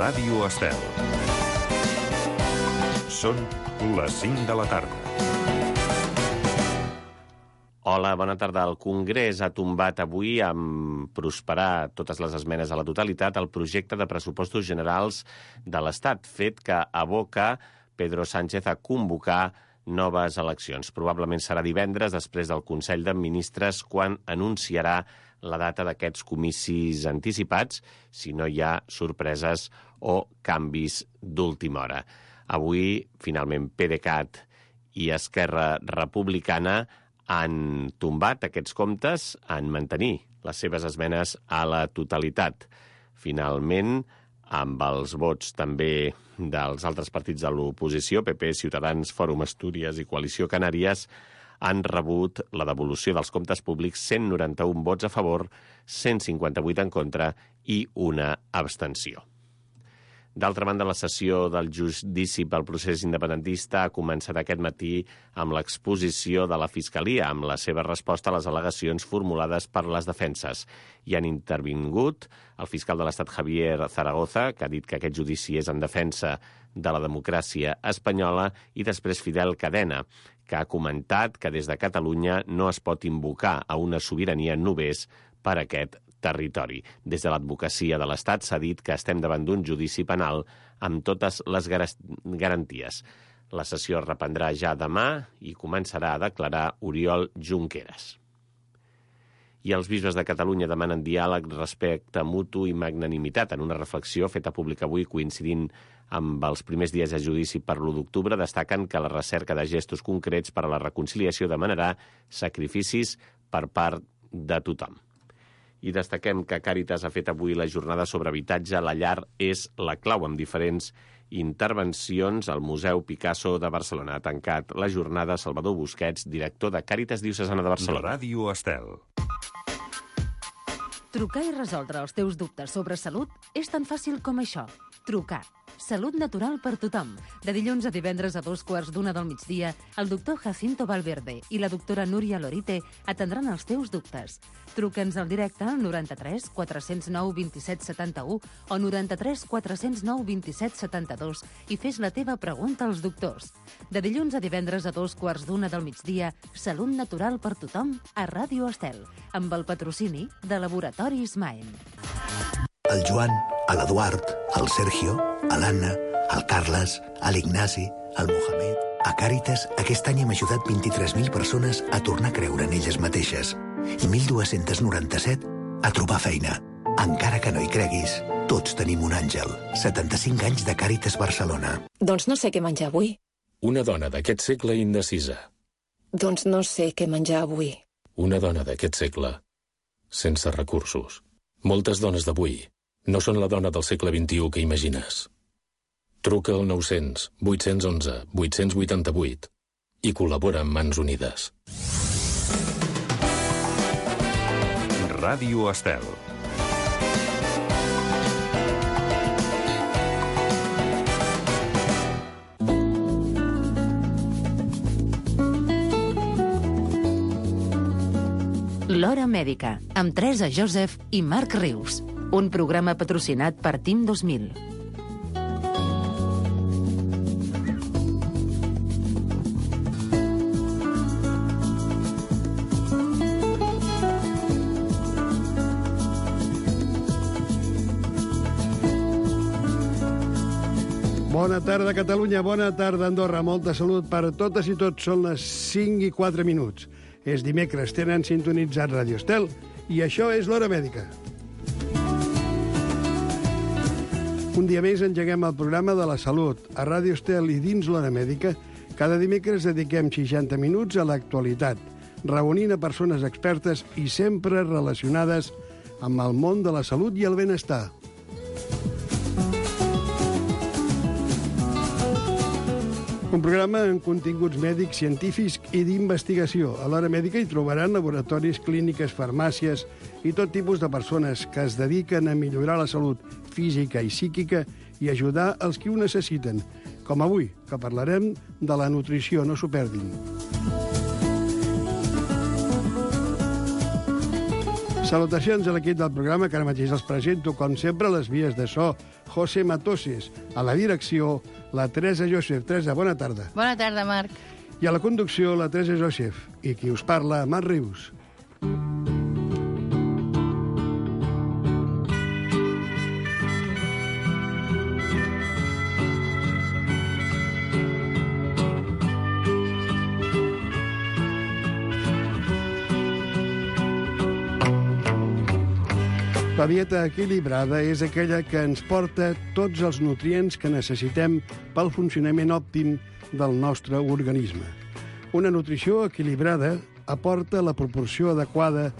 Ràdio Estel. Són les 5 de la tarda. Hola, bona tarda. El Congrés ha tombat avui, amb prosperar totes les esmenes a la totalitat, el projecte de pressupostos generals de l'Estat, fet que aboca Pedro Sánchez a convocar noves eleccions. Probablement serà divendres, després del Consell de Ministres, quan anunciarà la data d'aquests comicis anticipats, si no hi ha sorpreses o canvis d'última hora. Avui, finalment, PDeCAT i Esquerra Republicana han tombat aquests comptes en mantenir les seves esmenes a la totalitat. Finalment, amb els vots també dels altres partits de l'oposició, PP, Ciutadans, Fòrum Astúries i Coalició Canàries, han rebut la devolució dels comptes públics 191 vots a favor, 158 en contra i una abstenció. D'altra banda, la sessió del judici pel procés independentista ha començat aquest matí amb l'exposició de la Fiscalia, amb la seva resposta a les al·legacions formulades per les defenses. Hi han intervingut el fiscal de l'Estat, Javier Zaragoza, que ha dit que aquest judici és en defensa de la democràcia espanyola, i després Fidel Cadena, que ha comentat que des de Catalunya no es pot invocar a una sobirania només per aquest territori. Des de l'advocacia de l'Estat s'ha dit que estem davant d'un judici penal amb totes les garanties. La sessió es reprendrà ja demà i començarà a declarar Oriol Junqueras. I els bisbes de Catalunya demanen diàleg, respecte mutu i magnanimitat. En una reflexió feta pública avui, coincidint amb els primers dies de judici per l'1 d'octubre, destaquen que la recerca de gestos concrets per a la reconciliació demanarà sacrificis per part de tothom. I destaquem que Càritas ha fet avui la jornada sobre habitatge. La llar és la clau, amb diferents intervencions. Al Museu Picasso de Barcelona ha tancat la jornada Salvador Busquets, director de Càritas Diocesana de Barcelona. Ràdio Estel. Trucar i resoldre els teus dubtes sobre salut és tan fàcil com això. Trucar. Salut natural per tothom. De dilluns a divendres a 2:15 del migdia, el doctor Jacinto Valverde i la doctora Núria Lorite atendran els teus dubtes. Truca'ns al directe al 93 409 27 71 o 93 409 27 72 i fes la teva pregunta als doctors. De dilluns a divendres a 2:15 del migdia, Salut natural per tothom a Ràdio Estel, amb el patrocini de Laboratoris Maen. El Joan, l'Eduard, el Sergio, l'Anna, el Carles, l'Ignasi, el Mohamed... A Càritas, aquest any hem ajudat 23.000 persones a tornar a creure en elles mateixes i 1.297 a trobar feina. Encara que no hi creguis, tots tenim un àngel. 75 anys de Càritas Barcelona. Doncs no sé què menjar avui. Una dona d'aquest segle indecisa. Doncs no sé què menjar avui. Una dona d'aquest segle sense recursos. Moltes dones d'avui no són la dona del segle XXI que imagines. Truca al 900 811 888 i col·labora amb Mans Unides. Ràdio Estel. L'Hora Mèdica, amb Teresa Joseph i Marc Rius. Un programa patrocinat per Team 2000. Bona tarda, Catalunya. Bona tarda, Andorra. Molta salut per totes i tots. Són les 5:04. És dimecres, tenen sintonitzat Ràdio Estel i això és l'Hora Mèdica. Un dia més engeguem el programa de la salut. A Ràdio Estel i dins l'Hora Mèdica, cada dimecres dediquem 60 minuts a l'actualitat, reunint a persones expertes i sempre relacionades amb el món de la salut i el benestar. Un programa amb continguts mèdics, científics i d'investigació. A l'Hora Mèdica hi trobaran laboratoris, clíniques, farmàcies i tot tipus de persones que es dediquen a millorar la salut física i psíquica i ajudar els qui ho necessiten. Com avui, que parlarem de la nutrició, no s'ho perdin. Salutacions a l'equip del programa, que ara mateix els presento, com sempre, a les vies de so. José Matoses, a la direcció, la Teresa Joseph. Teresa, bona tarda. Bona tarda, Marc. I a la conducció, la Teresa Joseph. I qui us parla, Marc Rius. La dieta equilibrada és aquella que ens porta tots els nutrients que necessitem pel funcionament òptim del nostre organisme. Una nutrició equilibrada aporta la proporció adequada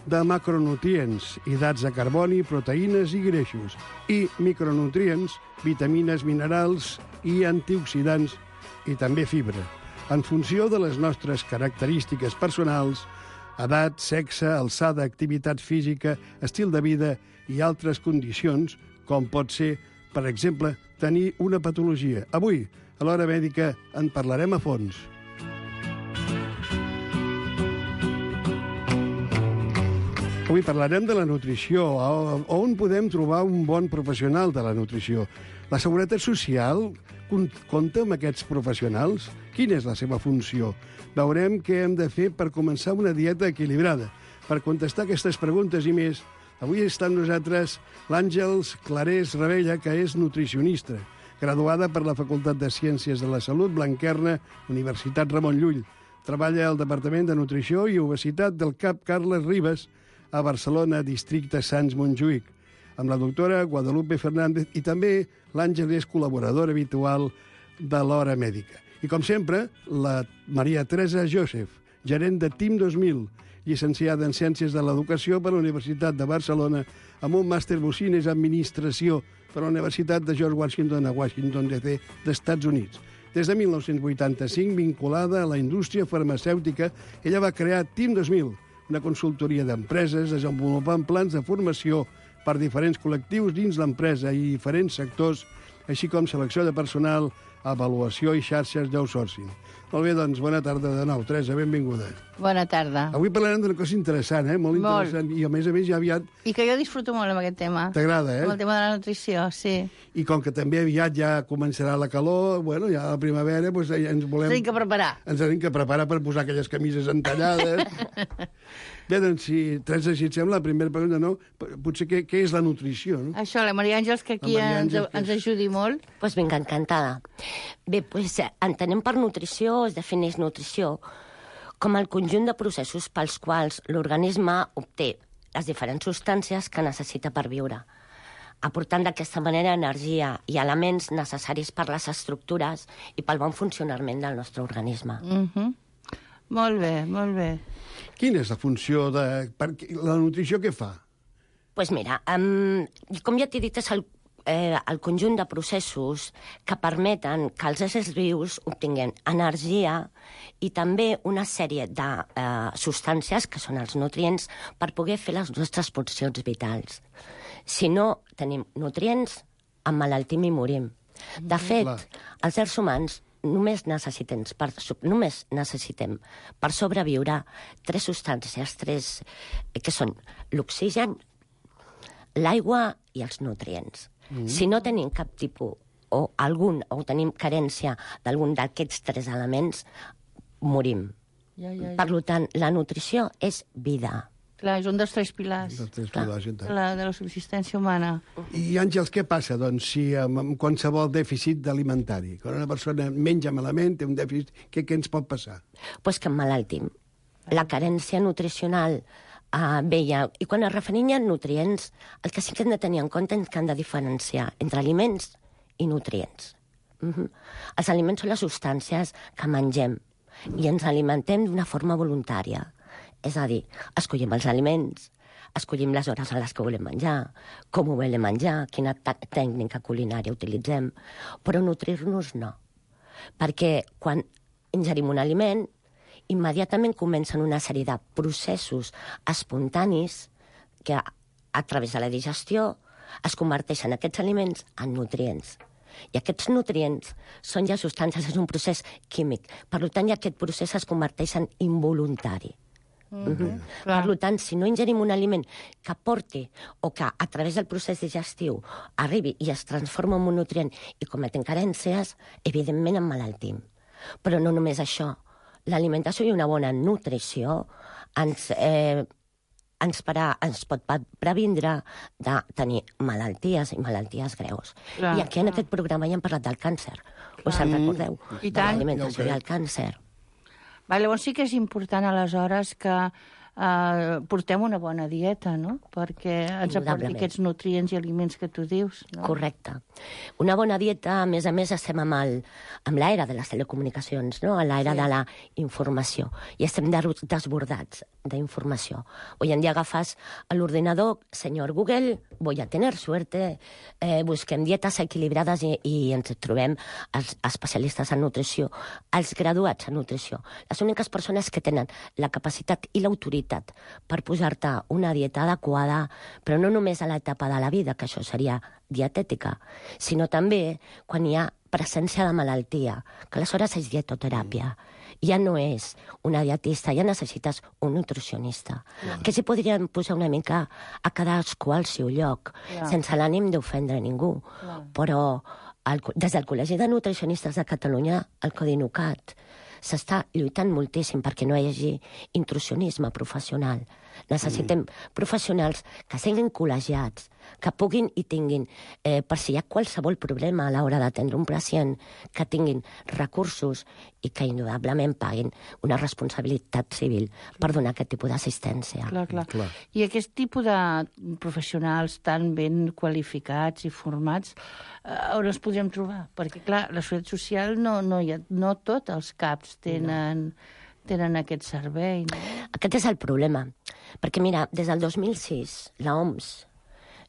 de macronutrients, hidrats de carboni, proteïnes i greixos, i micronutrients, vitamines, minerals i antioxidants, i també fibra, en funció de les nostres característiques personals, edat, sexe, alçada, activitat física, estil de vida i altres condicions, com pot ser, per exemple, tenir una patologia. Avui, a l'Hora Mèdica, en parlarem a fons. Avui parlarem de la nutrició, on podem trobar un bon professional de la nutrició. La Seguretat Social compta amb aquests professionals? Quina és la seva funció? Veurem què hem de fer per començar una dieta equilibrada. Per contestar aquestes preguntes i més, avui està amb nosaltres l'Àngels Clarés Ravella, que és nutricionista, graduada per la Facultat de Ciències de la Salut Blanquerna, Universitat Ramon Llull. Treballa al Departament de Nutrició i Obesitat del CAP Carles Ribes, a Barcelona, districte Sants Montjuïc, amb la doctora Guadalupe Fernández, i també l'Àngel és col·laboradora habitual de l'Hora Mèdica. I, com sempre, la Maria Teresa Joseph, gerent de TIM 2000, llicenciada en Ciències de l'Educació per la Universitat de Barcelona, amb un màster Business Administració per la Universitat de George Washington a Washington, D.C., d'Estats Units. Des de 1985, vinculada a la indústria farmacèutica, ella va crear TIM 2000, una consultoria d'empreses desenvolupant plans de formació per diferents col·lectius dins l'empresa i diferents sectors, així com selecció de personal, avaluació i xarxes d'outsourcing. Molt bé, doncs, bona tarda de nou. Teresa, benvinguda. Bona tarda. Avui parlarem d'una cosa interessant, molt interessant, i a més ja aviat... I que jo disfruto molt amb aquest tema. T'agrada, Amb el tema de la nutrició, sí. I com que també aviat ja començarà la calor, bueno, ja a la primavera, doncs ja ens volem... Tenim que preparar. Ens tenim que preparar per posar aquelles camises entallades. Bé, doncs, Teresa, si et sembla, la primera pregunta, no? Potser què és la nutrició, no? Això, la Maria Àngels, que aquí ens ajudi molt. Doncs vinga, encantada. Bé, doncs entenem per nutrició, es defineix nutrició com el conjunt de processos pels quals l'organisme obté les diferents substàncies que necessita per viure, aportant d'aquesta manera energia i elements necessaris per les estructures i pel bon funcionament del nostre organisme. Molt bé, molt bé. Quina és la funció de... La nutrició què fa? Doncs mira, com ja t'he dit, és el conjunt de processos que permeten que els éssers vius obtinguin energia i també una sèrie de substàncies, que són els nutrients, per poder fer les nostres funcions vitals. Si no tenim nutrients, emmalaltim i morim. De fet, els éssers humans només necessitem per sobreviure tres substàncies, que són l'oxigen, l'aigua i els nutrients. Si no tenim cap tipus o tenim carència d'algun d'aquests tres elements, morim. Per tant, la nutrició és vida. Clar, és un dels tres pilars de la subsistència humana. I, Àngels, què passa, doncs, si amb qualsevol dèficit alimentari? Quan una persona menja malament, té un dèficit, què ens pot passar? Doncs que emmalaltim. La carència nutricional veia. I quan es referim a nutrients, el que sí que hem de tenir en compte és que hem de diferenciar entre aliments i nutrients. Els aliments són les substàncies que mengem i ens alimentem d'una forma voluntària. És a dir, escollim els aliments, escollim les hores en les que volem menjar, com ho volem menjar, quina tècnica culinària utilitzem, però nutrir-nos no. Perquè quan ingerim un aliment, immediatament comencen una sèrie de processos espontanis que a través de la digestió es converteixen aquests aliments en nutrients. I aquests nutrients són ja substàncies, és un procés químic. Per tant, ja aquest procés es converteix en involuntari. Per tant, si no ingerim un aliment que aporti o que a través del procés digestiu arribi i es transforma en un nutrient i cometem carències, evidentment emmalaltim. Però no només això. L'alimentació i una bona nutrició ens pot previndre de tenir malalties i malalties greus. I aquí en aquest programa ja hem parlat del càncer. Us en recordeu? De l'alimentació i el càncer. Llavors sí que és important, aleshores, que portem una bona dieta, no? Perquè ens aporti aquests nutrients i aliments que tu dius. Correcte. Una bona dieta, a més, estem amb l'era de les telecomunicacions, no? A l'era de la informació. I estem desbordats d'informació. Hoy en día agafes a l'ordinador, senyor Google, voy a tener suerte, busquem dietes equilibrades i ens trobem els especialistes en nutrició, els graduats en nutrició, les úniques persones que tenen la capacitat i l'autoritat per posar-te una dieta adequada, però no només a l'etapa de la vida, que això seria dietètica, sinó també quan hi ha presència de malaltia, que aleshores és dietoteràpia. Ja no és una dietista, ja necessites un nutricionista. Que s'hi podrien posar una mica a cadascú al seu lloc, sense l'ànim d'ofendre ningú. Però des del Col·legi de Nutricionistes de Catalunya, el Codinucat, s'està lluitant moltíssim perquè no hi hagi intrusionisme professional. Necessitem professionals que siguin col·legiats, que puguin i tinguin, per si hi ha qualsevol problema a l'hora d'atendre un pacient, que tinguin recursos i que indudablement paguin una responsabilitat civil per donar aquest tipus d'assistència. Clar. I aquest tipus de professionals tan ben qualificats i formats, on els podríem trobar? Perquè, clar, la Seguretat Social no tots els CAPs tenen aquest servei. No? Aquest és el problema. Perquè, mira, des del 2006, l'OMS,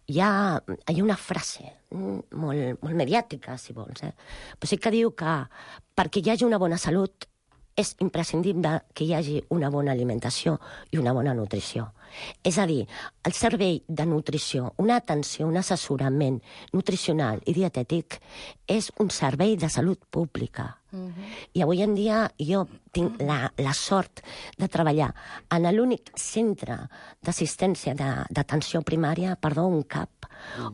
hi ha una frase molt mediàtica, si vols, però sí que diu que perquè hi hagi una bona salut és imprescindible que hi hagi una bona alimentació i una bona nutrició. És a dir, el servei de nutrició, una atenció, un assessorament nutricional i dietètic és un servei de salut pública. I avui en dia jo tinc la sort de treballar en l'únic centre d'assistència d'atenció primària, un CAP,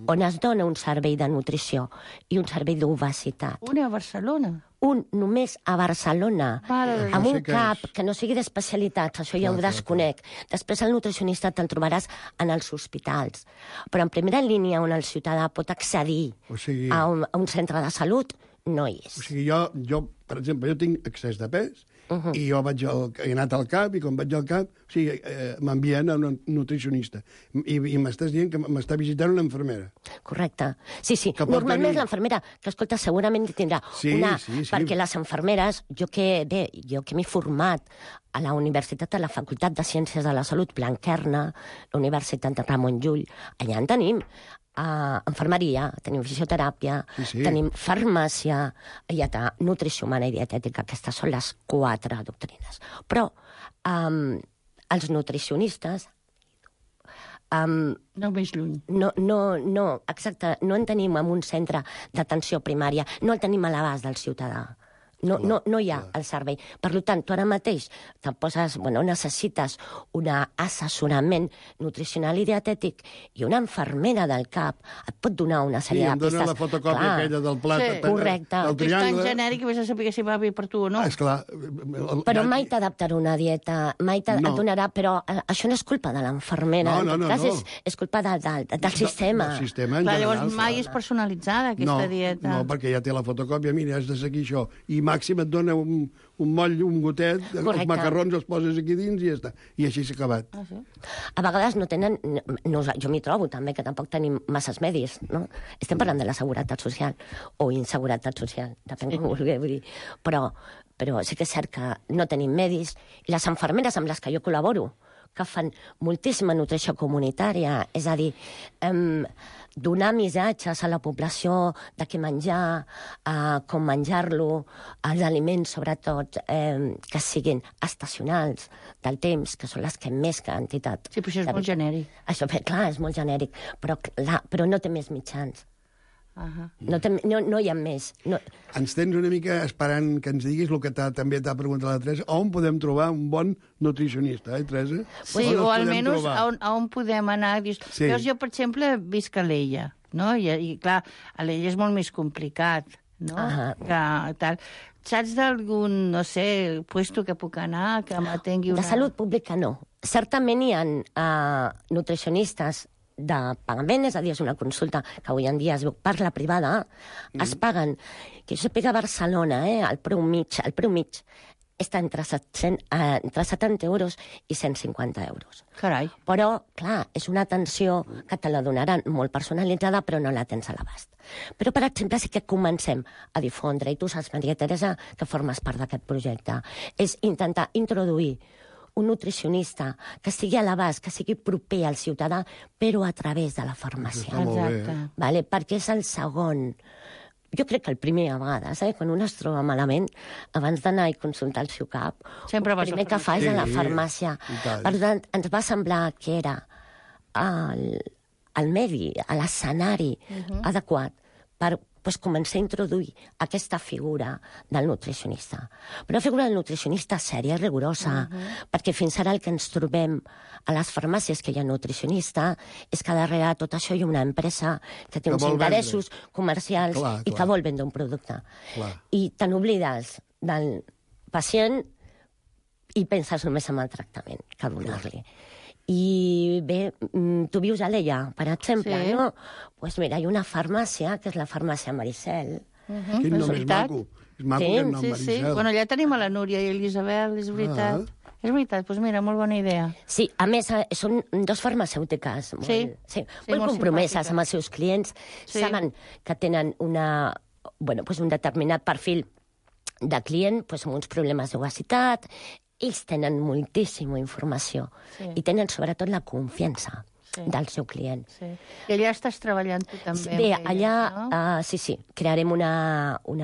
on es dona un servei de nutrició i un servei d'obesitat. Una a Barcelona? Un només a Barcelona, amb un CAP que no sigui d'especialitats, això ja ho desconec. Després el nutricionista te'l trobaràs en els hospitals. Però en primera línia on el ciutadà pot accedir a un centre de salut, no hi és. O sigui, jo, per exemple, jo tinc excés de pes i jo he anat al CAP i quan vaig al CAP m'envien a un nutricionista i m'estàs dient que m'està visitant una infermera. Correcte. Sí. Normalment és l'infermera, que escolta, segurament tindrà una... Perquè les infermeres, jo que m'he format a la Universitat de la Facultat de Ciències de la Salut Blanquerna, la Universitat de Ramon Llull, allà en tenim infermeria, tenim fisioteràpia, tenim farmàcia, hi ha nutrició humana i dietètica, aquestes són les 4 doctrines. Però els nutricionistes... No més lluny. No, exacte, no en tenim en un centre d'atenció primària, no el tenim a l'abast del ciutadà. No hi ha el servei. Per tant, tu ara mateix necessites un assessorament nutricional i dietètic i una infermera del CAP et pot donar una sèrie de pistes. Sí, em dona la fotocòpia aquella del plat. Correcte. És tan genèric que vés a saber si va bé per tu o no. Esclar. Però mai t'adaptarà una dieta, mai et donarà... Però això no és culpa de l'infermera. No. És culpa del sistema. Del sistema en general. Llavors mai és personalitzada, aquesta dieta. No, perquè ja té la fotocòpia, mira, has de seguir això. I màxim et dona un moll, un gotet, els macarrons els poses aquí dins i ja està. I així s'ha acabat. A vegades no tenen... Jo m'hi trobo també, que tampoc tenim masses medis, no? Estem parlant de la seguretat social, o inseguretat social, depèn com ho vulgueu dir. Però sí que és cert que no tenim medis. I les infermeres amb les que jo col·laboro, que fan moltíssima nutrició comunitària, és a dir, donar missatges a la població de què menjar, com menjar-lo, els aliments, sobretot, que siguin estacionals del temps, que són les que més quantitat... Sí, però això és molt genèric. Això, clar, és molt genèric, però no té més mitjans. No hi ha més. No. Ens tens una mica esperant que ens diguis el que també t'ha preguntat la Teresa, on podem trobar un bon nutricionista, Teresa? Sí, o almenys on podem anar. Veus, jo, per exemple, visc a l'Ella, no? I clar, a l'Ella és molt més complicat, no? Tal. Saps d'algun, no sé, puesto que puc anar, que m'atengui una... De salut pública, no. Certament hi ha nutricionistes de pagament, és a dir, és una consulta que avui en dia es veu per la privada, es paguen, que jo sàpiga a Barcelona, el preu mig està entre 70 euros i 150 euros. Carai. Però, clar, és una atenció que te la donaran molt personalitzada, però no la tens a l'abast. Però, per exemple, sí que comencem a difondre, i tu saps, Maria Teresa, que formes part d'aquest projecte, és intentar introduir un nutricionista que estigui a l'abast, que sigui proper al ciutadà, però a través de la farmàcia. Exacte. Vale? Perquè és el segon. Jo crec que el primer, a vegades, quan un es troba malament, abans d'anar i consultar el seu cap, el primer que fa és a la farmàcia. Per tant, ens va semblar que era el medi, l'escenari adequat per començar a introduir aquesta figura del nutricionista. Però la figura del nutricionista sèria i rigorosa, perquè fins ara el que ens trobem a les farmàcies que hi ha nutricionista és que darrere de tot això hi ha una empresa que té uns interessos comercials i que vol vendre un producte. I te n'oblides del pacient i penses només en el tractament que donar-li. I bé, tu vius a l'Ella, per exemple, no? Doncs mira, hi ha una farmàcia, que és la farmàcia Maricel. Quin nom és maco. És maco aquest nom, Maricel. Sí. Bueno, allà tenim a la Núria i l'Isabel, és veritat. És veritat, doncs mira, molt bona idea. Sí, a més, són dos farmacèutiques molt compromeses amb els seus clients. Saben que tenen un determinat perfil de client amb uns problemes d'obesitat. Ells tenen moltíssima informació i tenen sobretot la confiança del seu client. I allà estàs treballant tu també? Bé, allà, sí, crearem un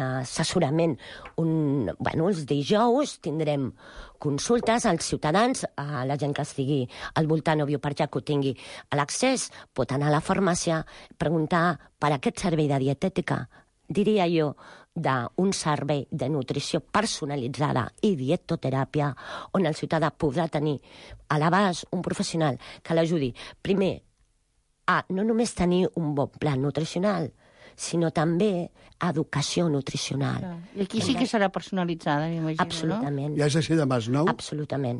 assessorament. Els dijous tindrem consultes als ciutadans, a la gent que estigui al voltant o viu per allà, que ho tingui a l'accés, pot anar a la farmàcia, preguntar per aquest servei de dietètica, diria jo, d'un servei de nutrició personalitzada i dietoteràpia, on el ciutadà podrà tenir a l'abast un professional que l'ajudi, primer, a no només tenir un bon pla nutricional, sinó també educació nutricional. I aquí sí que serà personalitzada, m'imagino, no? Absolutament. I has de ser de Masnou? Absolutament.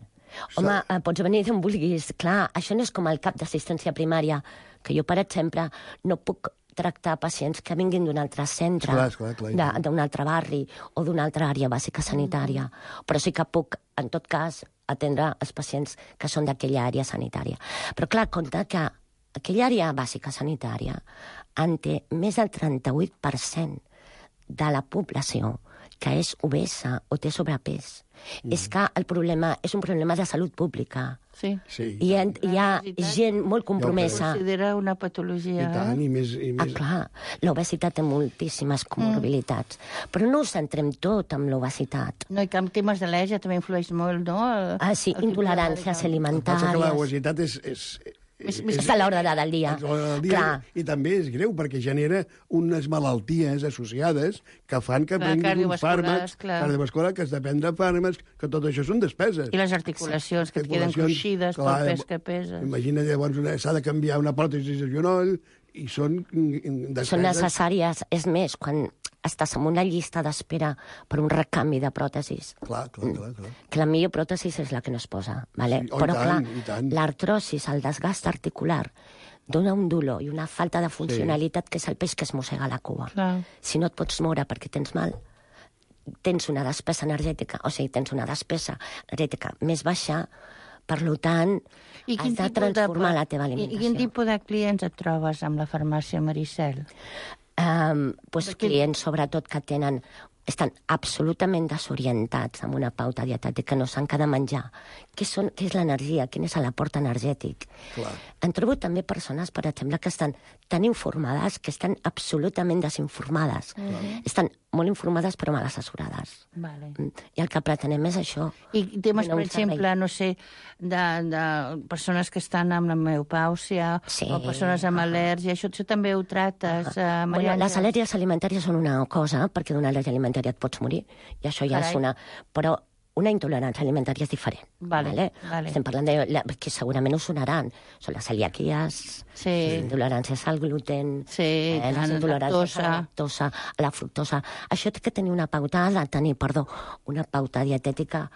Home, pots venir d'on vulguis. Clar, això no és com el cap d'assistència primària, que jo, per exemple, no puc tractar pacients que vinguin d'un altre centre, d'un altre barri o d'una altra àrea bàsica sanitària. Però sí que puc, en tot cas, atendre els pacients que són d'aquella àrea sanitària. Però clar, compte que aquella àrea bàsica sanitària en té més del 38% de la població que és obesa o té sobrepès. És que el problema és un problema de salut pública. Sí. Hi ha gent molt compromesa. Considera una patologia. I tant, i més... Clar, l'obesitat té moltíssimes comorbilitats. Però no ho centrem tot amb l'obesitat. No, i que amb temes d'al·lèrgia també influeix molt, no? Sí, intoleràncies alimentàries. Que l'obesitat és a l'hora del dia. I també és greu, perquè genera unes malalties associades que fan que prenguin uns fàrmacs cardiovasculars, que has de prendre fàrmacs, que tot això són despeses. I les articulacions, que et queden cruixides pel pes que peses. Imagina, llavors, s'ha de canviar una pròtesi de genoll, i són despeses. Són necessàries. És més, quan estàs en una llista d'espera per un recanvi de pròtesis. Clar. Que la millor pròtesis és la que no es posa. Vale? Sí, però, clar, l'artrosis, el desgast articular, dona un dolor i una falta de funcionalitat que és el peix que es mossega la cua. Si no et pots moure perquè tens mal, tens una despesa energètica, tens una despesa energètica més baixa, per tant, has de transformar la teva alimentació. I quin tipus de clients et trobes amb la farmàcia Maricel? Clients, sobretot, que estan absolutament desorientats amb una pauta dietètica, no saben què de menjar. Què és l'energia? Quin és l'aport energètic? Han trobat també persones, per exemple, que estan tan informades que estan absolutament desinformades. Estan molt informades però mal assessorades. Vale. I el que pretenem és això. I temes, donar per un servei. exemple, no sé, de persones que estan amb la menopàusia o persones amb al·lèrgia, això també ho trates, Maria Àngels? Les al·lèrgies alimentàries són una cosa, perquè d'una al·lèrgia alimentària et pots morir, i això ja és una... Però una intolerància alimentària és diferent. Vale. Estem parlant que segurament us sonaran. Són les celiaquies, les intoleràncies al gluten, les intoleràncies a la lactosa, a la fructosa. Això té que tenir una pauta, una pauta dietètica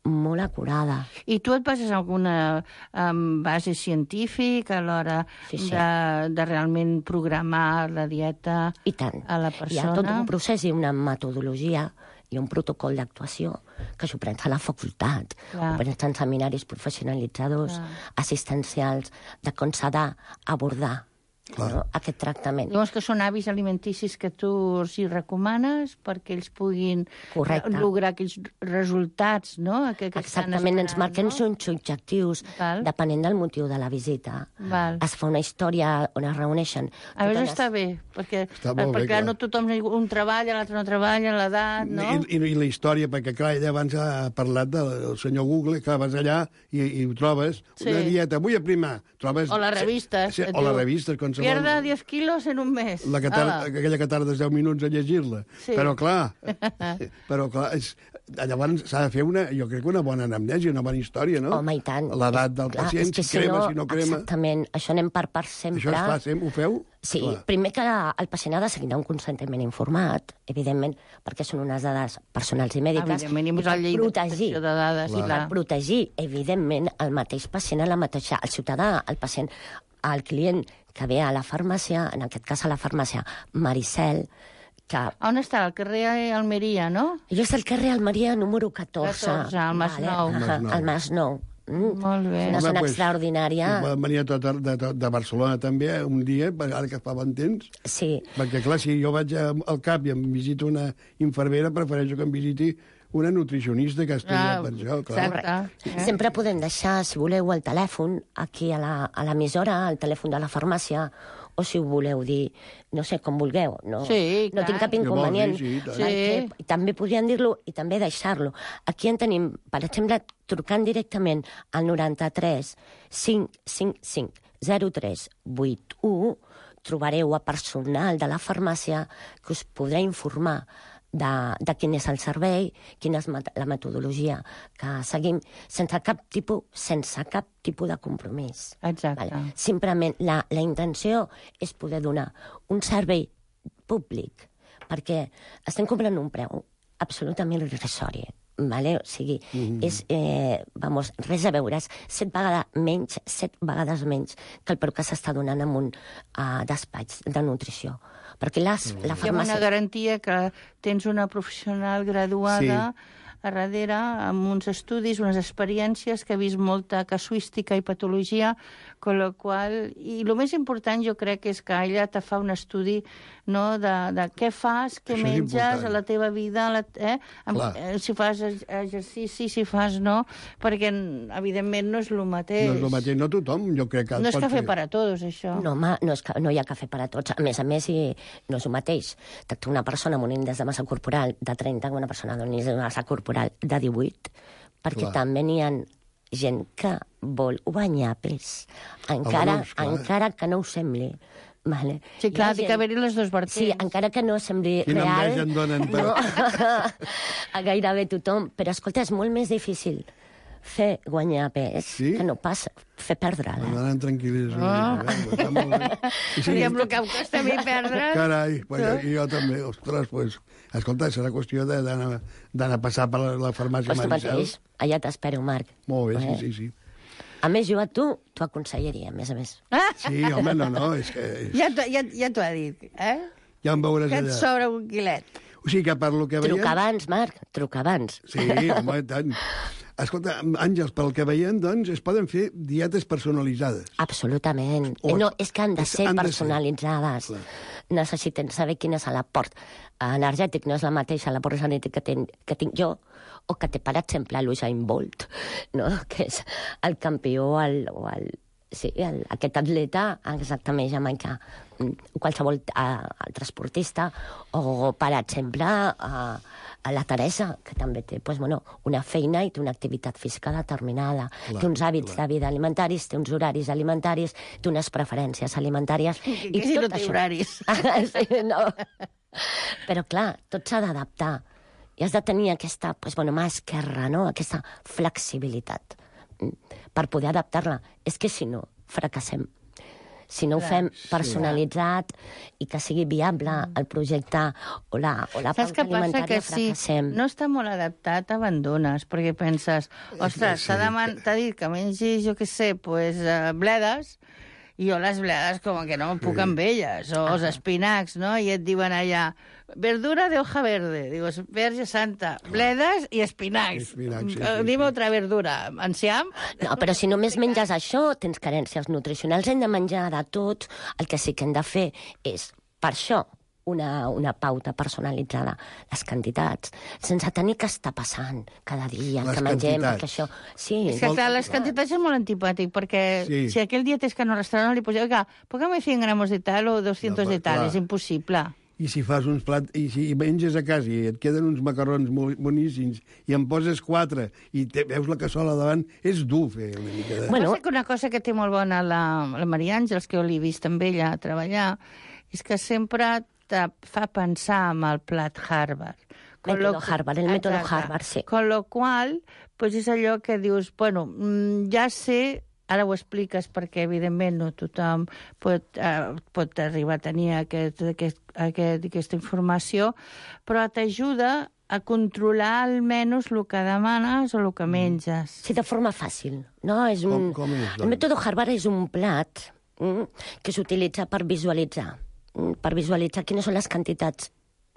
molt acurada. I tu et bases en alguna base científica a l'hora de realment programar la dieta a la persona? Hi ha tot un procés i una metodologia i un protocol d'actuació que s'ho prens a la facultat, ho prens en seminaris professionalitzadors, assistencials, de com s'ha d'abordar aquest tractament. Llavors que són hàbits alimenticis que tu els hi recomanes perquè ells puguin lograr aquells resultats, no? Exactament, ens marquen uns objectius depenent del motiu de la visita. Es fa una història on es reuneixen. A veure, està bé, perquè no tothom, un treballa, l'altre no treballa, l'edat, no? I la història, perquè clar, ella abans ha parlat del senyor Google, que vas allà i ho trobes, una dieta, vull aprimar, trobes... O les revistes. O les revistes, com Pierda 10 quilos en un mes. Aquella que tardes 10 minuts a llegir-la. Sí. Però clar, llavors s'ha de fer jo crec que una bona anamnèsia, una bona història, no? Home, i tant. L'edat del pacient, si crema, si no crema... Exactament, això anem per part sempre. Això es fa sempre, ho feu? Sí, primer que el pacient ha de seguir un consentiment informat, evidentment, perquè són unes dades personals i mèdiques, per protegir, evidentment, el mateix pacient, el ciutadà, el pacient, el client que ve a la farmàcia, en aquest cas a la farmàcia Maricel, que... On està? Al carrer Almeria, no? Jo és al carrer Almeria número 14. 14, al Masnou. Al Masnou. Molt bé. Una zona extraordinària. Venia de Barcelona també, un dia, ara que fa bon temps. Sí. Perquè, clar, si jo vaig al CAP i em visito una infermera, prefereixo que em visiti una nutricionista que ha estudiat per això, clar. Sempre podem deixar, si voleu, el telèfon aquí a l'emissora, el telèfon de la farmàcia, o si ho voleu dir, no sé, com vulgueu. No tinc cap inconvenient. I també podrien dir-lo i també deixar-lo. Aquí en tenim, per exemple, trucant directament al 93 555 0381, trobareu a personal de la farmàcia que us podrà informar de quin és el servei, quina és la metodologia que seguim, sense cap tipus de compromís. Exacte. Simplement, la intenció és poder donar un servei públic, perquè estem cobrant un preu absolutament irrisori. O sigui, és, res a veure, és 7 vegades menys que el preu que s'està donant en un despatx de nutrició. Perquè la farmàcia... Hi ha una garantia que tens una professional graduada a darrere, amb uns estudis, unes experiències, que ha vist molta casuística i patologia, con la qual... I el més important, jo crec, és que ella te fa un estudi de què fas, què menges a la teva vida, si fas exercici, si fas no, perquè, evidentment, no és el mateix. No és el mateix, no tothom, jo crec que... No és cafè per a tots, això. No, home, no hi ha cafè per a tots. A més, no és el mateix. Tractar una persona amb un índex de massa corporal de 30 amb una persona amb un índex de massa corporal de 18, perquè també n'hi ha gent que vol guanyar pes, encara que no ho sembli. Vale. Sí, clar, ha d'haver-hi les dues vertents. Sí, encara que no sembli real. Quina enveja en donen, però... A gairebé tothom. Però, escolta, és molt més difícil fer guanyar pes que no pas fer perdre'l. M'anen tranquil·lis. I amb el que em costa a mi perdre'l... Carai, jo també. Ostres, doncs... Escolta, serà qüestió d'anar a passar per la farmàcia Maricel. Pues tu mateix. Allà t'espero, Marc. Molt bé, sí. A més, jo a tu t'ho aconsellaria, a més a més. Sí, home, no, és que... Ja t'ho ha dit, Ja em veuràs allà. Que et sobra un quilet. O sigui que per lo que veiem... Truca abans, Marc, truca abans. Sí, home, tant. Escolta, Àngels, pel que veiem, doncs, es poden fer dietes personalitzades. Absolutament. No, és que han de ser personalitzades. Necessiten saber quin és l'aport energètic. No és la mateixa l'aport energètic que tinc jo, o que té, per exemple, l'Usain Bolt, no? Que és el campió o el Sí, aquest atleta, exactament, jamaicà, qualsevol altre esportista, o, per exemple, la Teresa, que també té una feina i té una activitat física determinada, té uns hàbits de vida alimentaris, té uns horaris alimentaris, té unes preferències alimentàries... Que si no té horaris. Sí, no. Però, clar, tot s'ha d'adaptar. I has de tenir aquesta, mà esquerra, no? Aquesta flexibilitat per poder adaptar-la. És que si no, fracassem. Si no ho fem personalitzat i que sigui viable el projecte o la pauta alimentària, fracassem. No està molt adaptat, abandones, perquè penses, ostres, t'ha dit que mengis, jo què sé, bledes, i jo les bledes com que no em puc amb elles, o els espinacs, no? I et diuen allà, verdura de hoja verde, dius, verge santa, bledes i espinacs. Dime otra verdura, enciam? No, però si només menges això, tens carències nutricionals, hem de menjar de tot. El que sí que hem de fer és, per això, una pauta personalitzada, les quantitats, sense tenir que estar passant cada dia que mengem, perquè això... Sí, és que, clar, les quantitats és molt antipàtic, perquè si aquell dia tens que anar al restaurant li poseu, póngame 100 gramos de tal o 200 de tal, és impossible. I si fas uns plats, i si menges a casa i et queden uns macarrons boníssims i en poses 4 i veus la cassola davant, és dur fer una mica de... Bueno, una cosa que té molt bona la Maria Àngels, que jo l'he vist amb ella treballar, és que sempre te fa pensar en el plat Harvard. El mètode Harvard, sí. Con lo qual, és allò que dius, ja sé, ara ho expliques perquè, evidentment, no tothom pot arribar a tenir aquesta informació, però t'ajuda a controlar almenys el que demanes o el que menges. Sí, de forma fàcil. No? El mètode Harvard és un plat que s'utilitza per visualitzar quines són les quantitats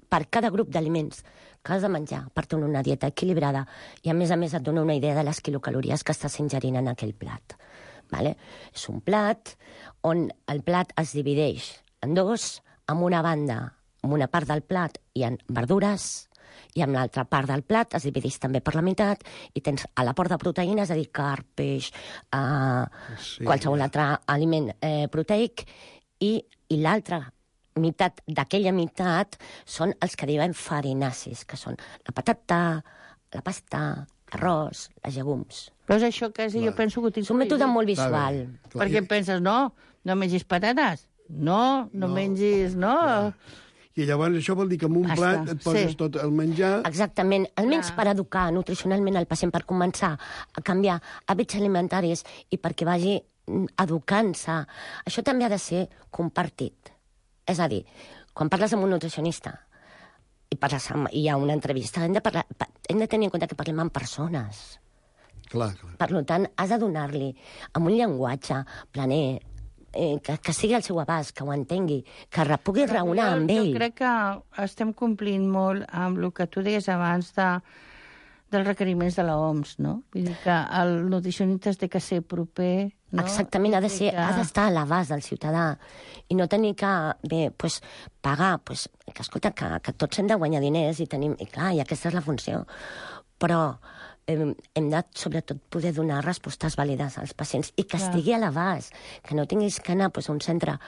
per cada grup d'aliments que has de menjar per tenir una dieta equilibrada i, a més et dona una idea de les quilocalories que estàs ingerint en aquell plat. Vale? És un plat on el plat es divideix en dos, amb una banda, amb una part del plat hi ha verdures i amb l'altra part del plat es divideix també per la meitat i tens a l'aport de proteïnes, és a dir, carn, peix, qualsevol altre aliment proteic, i l'altra meitat d'aquella meitat són els que diuen farinacis, que són la patata, la pasta, l'arròs, les llegums. Però és això que jo penso que és un mètode molt visual. Perquè penses, no mengis patates, no mengis, no... I llavors això vol dir que en un plat et poses tot el menjar... Exactament. Almenys per educar nutricionalment el pacient, per començar a canviar hàbits alimentaris i perquè vagi educant-se. Això també ha de ser compartit. És a dir, quan parles amb un nutricionista i hi ha una entrevista, hem de tenir en compte que parlem amb persones. Clar. Per tant, has de donar-li amb un llenguatge planer, que sigui al seu abast, que ho entengui, que pugui raonar amb ell. Jo crec que estem complint molt amb el que tu deies abans dels requeriments de l'OMS, no? Vull dir que el nutricionista té que ser proper... No? Exactament, ha d'estar a l'abast del ciutadà i no tenir que pagar, que escolta, que tots hem de guanyar diners i clar, i aquesta és la funció. Però hem de, sobretot, poder donar respostes vàlides als pacients i que estigui a l'abast, que no tinguis que anar a un centre,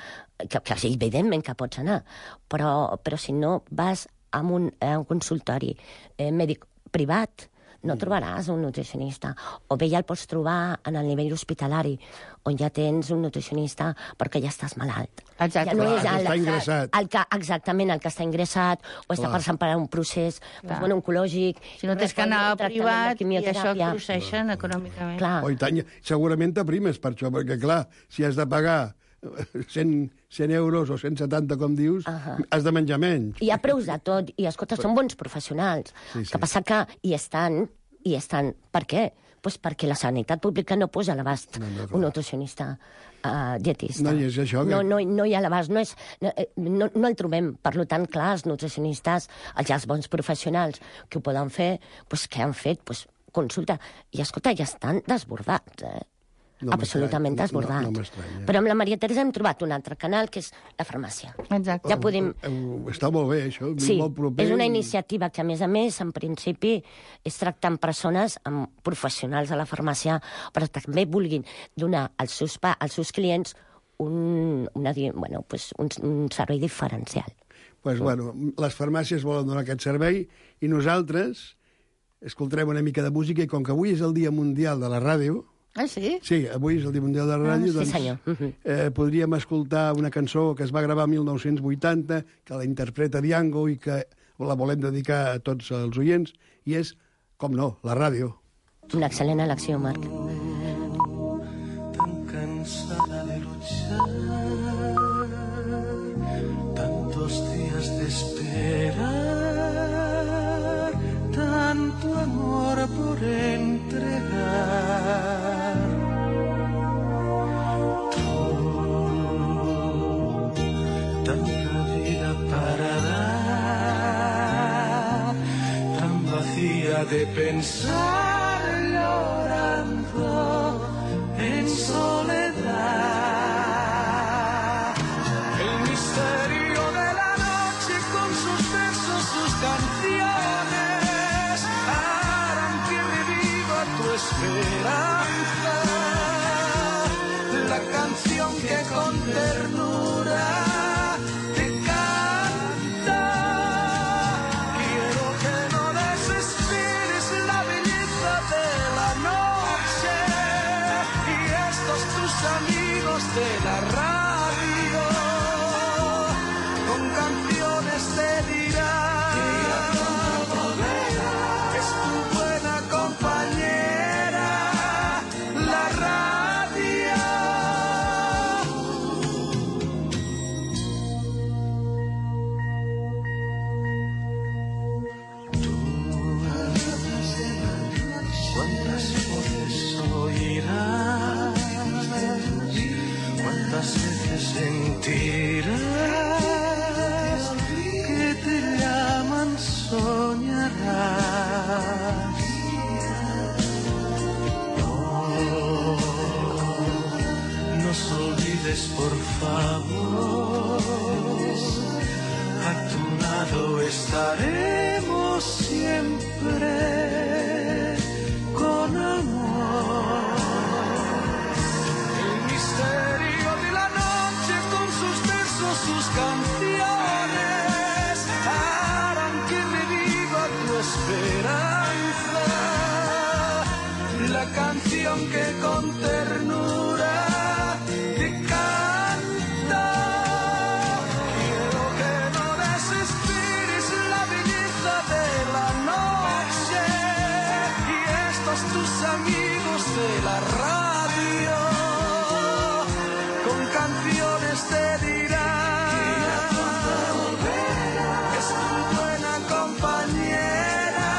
que evidentment que pots anar, però si no vas a un consultori mèdic privat, no trobaràs un nutricionista. O bé ja el pots trobar en el nivell hospitalari, on ja tens un nutricionista perquè ja estàs malalt. Exacte. Ja no és està ingressat. Exactament, el que està ingressat o està passant per un procés oncològic. Si no tens que anar a privat i això et proceixen econòmicament. Oh, i tant, segurament t'aprimes per això, perquè clar, si has de pagar 100 euros o 170, com dius, has de menjar menys. Hi ha preus de tot, i escolta, són bons professionals. El que passa que hi estan. Per què? Doncs perquè la sanitat pública no posa a l'abast un nutricionista dietista. No, i és això que... No hi ha a l'abast, no el trobem. Per tant, clar, els nutricionistes, els bons professionals que ho poden fer, què han fet? Consulta. I escolta, ja estan desbordats, absolutament desbordat. No m'estranya. Però amb la Maria Teresa hem trobat un altre canal, que és la farmàcia. Exacte. Ja podem... Està molt bé, això. Sí, molt proper. és una iniciativa que, a més, en principi, és tractar amb persones, amb professionals de la farmàcia, però també vulguin donar als seus clients un servei diferencial. Pues, les farmàcies volen donar aquest servei i nosaltres escoltarem una mica de música i com que avui és el Dia Mundial de la Ràdio... Ah, sí? Sí, avui és el Dia Mundial de la Ràdio, sí, senyor. Podríem escoltar una cançó que es va gravar el 1980, que la interpreta Diango i que la volem dedicar a tots els oients, i és, com no, la ràdio. Una excel·lent elecció, Marc. Tan cansada de luchar, tantos días de esperar, tanto amor por entregar. Tú, tanta vida para dar, tan vacía de pensar, llorando en soledad. El misterio de la noche con sus versos, sus canciones, harán que reviva tu esperanza. La canción que con ternura te canta. Quiero que no desesperes la belleza de la noche y estos tus amigos de la radio con canciones te dirán que es tu buena compañera la radio. Tú cuántas voces oirás, cuántas veces sentirás que te llaman, soñarás. No nos olvides, por favor, a tu lado estaremos siempre con amor. El misterio de la noche con sus versos, sus canciones, harán que reviva tu esperanza. La canción que con ternura te canta. Quiero que no desesperes la belleza de la noche y estos tus amigos de la radio con canciones te dirán que es tu buena compañera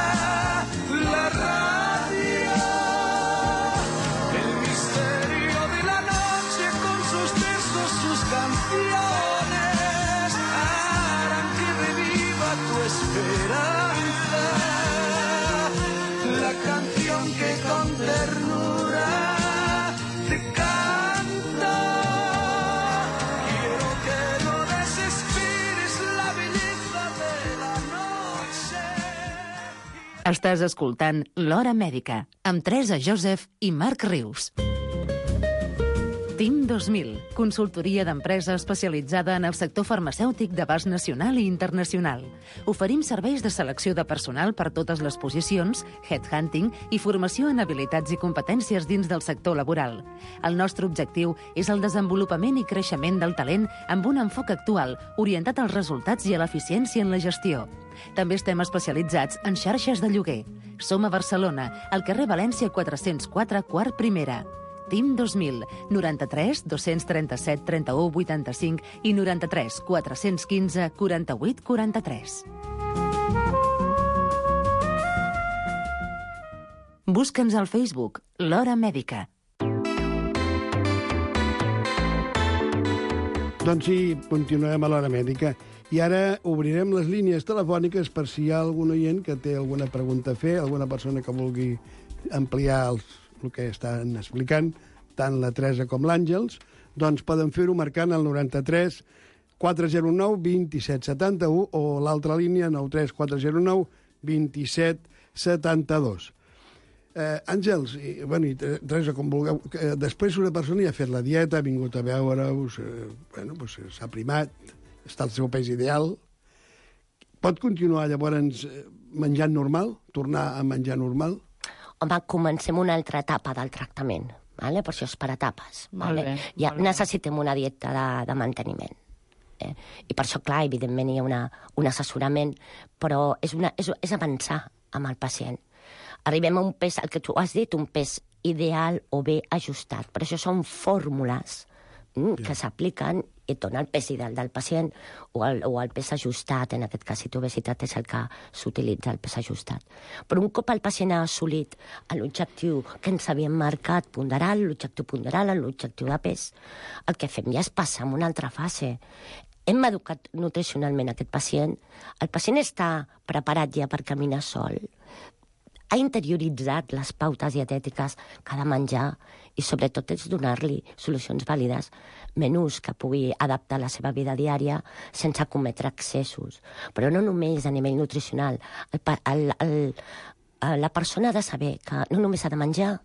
la radio. El misterio de la noche con sus versos, sus canciones harán que reviva tu esperanza. La canción que con ternura te canta. Quiero que no desesperes la belleza de la noche. Estàs escoltant L'Hora Mèdica, amb Teresa Joseph i Marc Rius. TIM 2000, consultoria d'empresa especialitzada en el sector farmacèutic d'abast nacional i internacional. Oferim serveis de selecció de personal per totes les posicions, headhunting i formació en habilitats i competències dins del sector laboral. El nostre objectiu és el desenvolupament i creixement del talent amb un enfoc actual, orientat als resultats i a l'eficiència en la gestió. També estem especialitzats en xarxes de lloguer. Som a Barcelona, al carrer València 404, quart primera. TIM 2000, 93 237 31 85 i 93 415 48 43. Busca'ns al Facebook, L'Hora Mèdica. Doncs sí, continuem a l'Hora Mèdica. I ara obrirem les línies telefòniques per si hi ha algun oient que té alguna pregunta a fer, alguna persona que vulgui ampliar el que estan explicant, tant la Teresa com l'Àngels, doncs poden fer-ho marcant el 93 409 2771 o l'altra línia 93 409 2772. Àngels, i Teresa, com vulgueu, després una persona ja ha fet la dieta, ha vingut a veure-us, s'ha primat, està al seu pes ideal. Pot continuar llavors menjant normal? Tornar a menjar normal? Home, comencem una altra etapa del tractament, vale? Per això és per etapes. Vale? Ja necessitem una dieta de manteniment. I per això, clar, evidentment hi ha un assessorament, però és avançar amb el pacient. Arribem a un pes, el que tu has dit, un pes ideal o bé ajustat. Per això són fórmules que s'apliquen i et dona el pes ideal del pacient o el pes ajustat, en aquest cas, si tu obesitat és el que s'utilitza, el pes ajustat. Però un cop el pacient ha assolit l'objectiu que ens havíem marcat ponderal, l'objectiu ponderal, l'objectiu de pes, el que fem ja és passar a una altra fase. Hem educat nutricionalment aquest pacient. El pacient està preparat ja per caminar sol. Ha interioritzat les pautes dietètiques que ha de menjar i sobretot és donar-li solucions vàlides, menús que pugui adaptar a la seva vida diària sense cometre excessos. Però no només a nivell nutricional. La persona ha de saber que no només ha de menjar,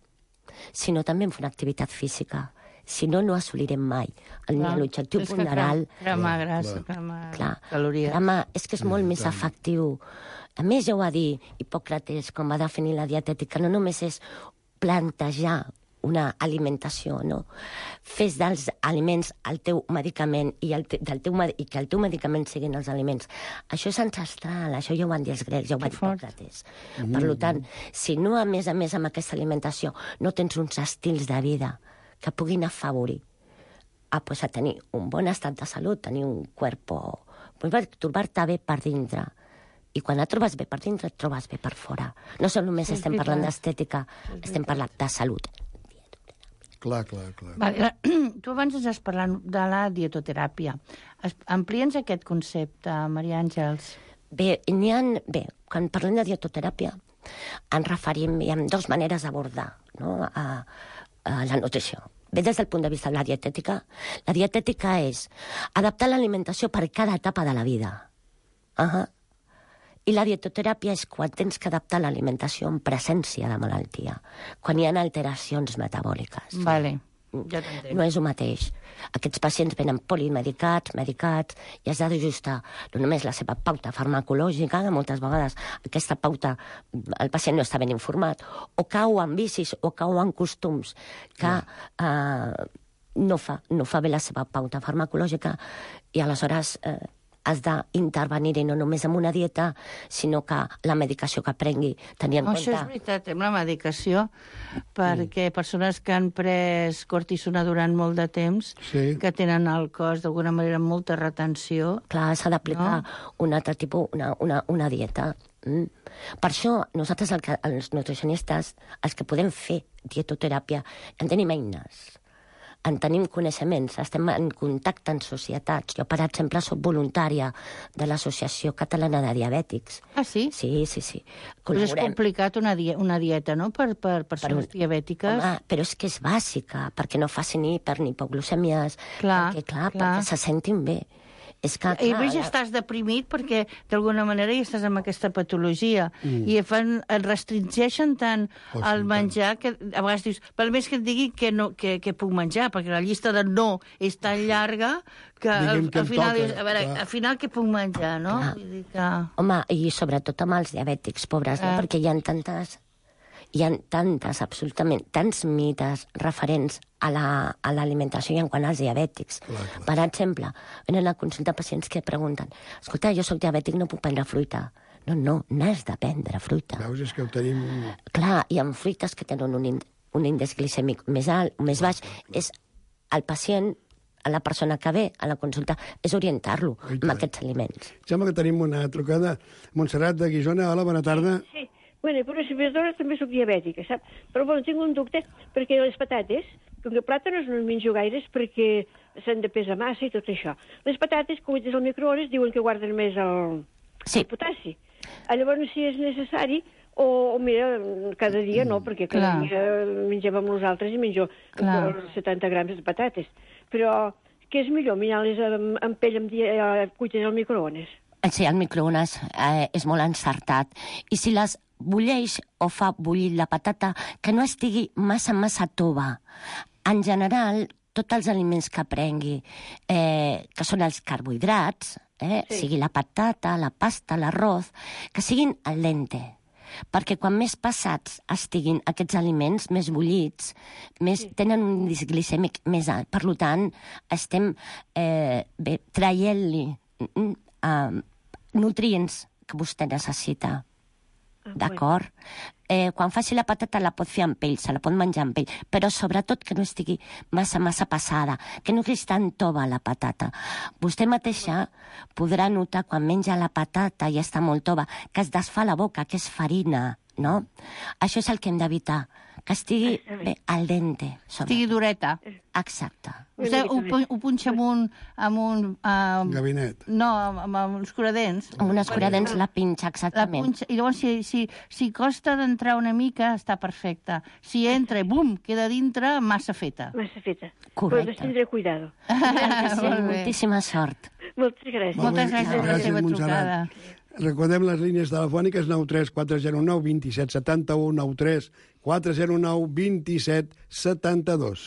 sinó també en fer una activitat física. Si no, no assolirem mai l'objectiu ponderal. Cremar grassa, cremar calories. És que és molt més efectiu. A més, ja ho va dir Hipòcrates, com va definir la dietètica, no només és plantejar una alimentació, no? Fes dels aliments el teu medicament i que el teu medicament siguin els aliments. Això és ancestral, això ja ho van dir els grecs, ja ho va dir Hipòcrates. Per tant, si no, a més amb aquesta alimentació, no tens uns estils de vida que puguin afavorir a tenir un bon estat de salut, tenir un cuerpo, trobar-te bé per dintre. I quan et trobes bé per dintre, et trobes bé per fora. No només estem parlant d'estètica, estem parlant de salut. Clar. Vale, tu abans ens has parlat de la dietoteràpia. Amplia'ns aquest concepte, Maria Àngels. Bé, quan parlem de dietoteràpia, ens referim, hi ha dues maneres d'abordar, no? A la nutrició. Bé, des del punt de vista de la dietètica és adaptar l'alimentació per cada etapa de la vida. I la dietoteràpia és quan tens que adaptar l'alimentació en presència de malaltia, quan hi ha alteracions metabòliques. Vale, ja t'entenc. No és el mateix. Aquests pacients venen polimedicats, medicats, i has d'ajustar no només la seva pauta farmacològica, que moltes vegades aquesta pauta el pacient no està ben informat, o cau en vicis o cau en costums que no fa bé la seva pauta farmacològica, i aleshores has d'intervenir-hi no només amb una dieta, sinó que la medicació que prengui tenia en compte... Això és veritat, amb la medicació, perquè persones que han pres cortisona durant molt de temps, que tenen al cos d'alguna manera molta retenció... Clar, s'ha d'aplicar un altre tipus, una dieta. Per això, nosaltres, els nutricionistes, els que podem fer dietoteràpia, en tenim eines. En tenim coneixements, estem en contacte amb societats. Jo, per exemple, soc voluntària de l'Associació Catalana de Diabètics. Ah, sí? Sí. Però és complicat una dieta, no?, per persones diabètiques. Home, però és que és bàsica, perquè no facin ni hipoglucèmies, perquè se sentin bé. És que, i a més ja estàs deprimit perquè d'alguna manera ja estàs amb aquesta patologia i et restringeixen tant el menjar que a vegades dius, per més que et digui que puc menjar, perquè la llista de no és tan llarga que al final dius, al final què puc menjar, no? Vull dir que... Home, i sobretot amb els diabètics pobres, no? Perquè hi ha absolutament, tants mites referents a l'alimentació i en quant als diabètics. Per exemple, venen a consultar pacients que pregunten, escolta, jo soc diabètic, no puc prendre fruita. No, n'has de prendre fruita. Veus, és que ho tenim... Clar, hi ha fruites que tenen un índex glicèmic més alt o més baix. És el pacient, a la persona que ve a la consulta, és orientar-lo amb aquests aliments. Sembla que tenim una trucada. Montserrat de Guissona, hola, bona tarda. Sí. Bueno, per les hores també soc diabètica, saps? Però bueno, tinc un dubte, perquè les patates, com que plàtanos no en menjo gaires perquè s'han de pesar massa i tot això. Les patates, cuites al microones, diuen que guarden més el potassi. Llavors, si és necessari, O mira, cada dia no, perquè cada dia mengem amb nosaltres i menjo 70 grams de patates. Però què és millor, mirar-les amb pell cuites al microones? Sí, el microones és molt encertat. I si les bulleix o fa bullir la patata, que no estigui massa tova. En general, tots els aliments que prengui, que són els carbohidrats, sigui la patata, la pasta, l'arroz, que siguin al dente. Perquè quan més passats estiguin aquests aliments, més bullits, tenen un índex glicèmic més alt. Per tant, estem traient-li nutrients que vostè necessita. D'acord? Quan faci la patata la pot fer amb pell, se la pot menjar amb pell, però sobretot que no estigui massa passada, que no estigui tan tova la patata. Vostè mateixa podrà notar quan menja la patata i està molt tova, que es desfà la boca, que és farina, no? Això és el que hem d'evitar, que estigui bé al dente. Estigui dureta. Exacte. Vostè ho punxa amb un... Gabinet. No, amb uns curadents. Amb un escuradents la pinxa, exactament. I llavors, si costa d'entrar una mica, està perfecta. Si entra, bum, queda dintre, massa feta. Massa feta. Correcte. Pues tindré cuidado. Moltíssima sort. Moltes gràcies. Moltes gràcies per la seva trucada. Recordem les línies telefòniques 93 409 27 71 93 409 27 72.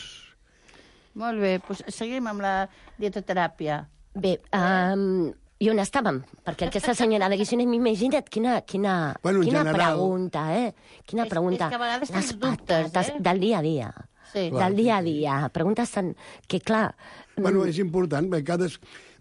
Molt bé, doncs seguim amb la dietoteràpia. Bé, i on estàvem? Perquè aquesta senyora de Guissona, imagina't quina pregunta, Quina pregunta. És que a vegades tens dubtes, del dia a dia. Sí. Del dia a dia. Preguntes tan... que, clar... Bueno, és important, perquè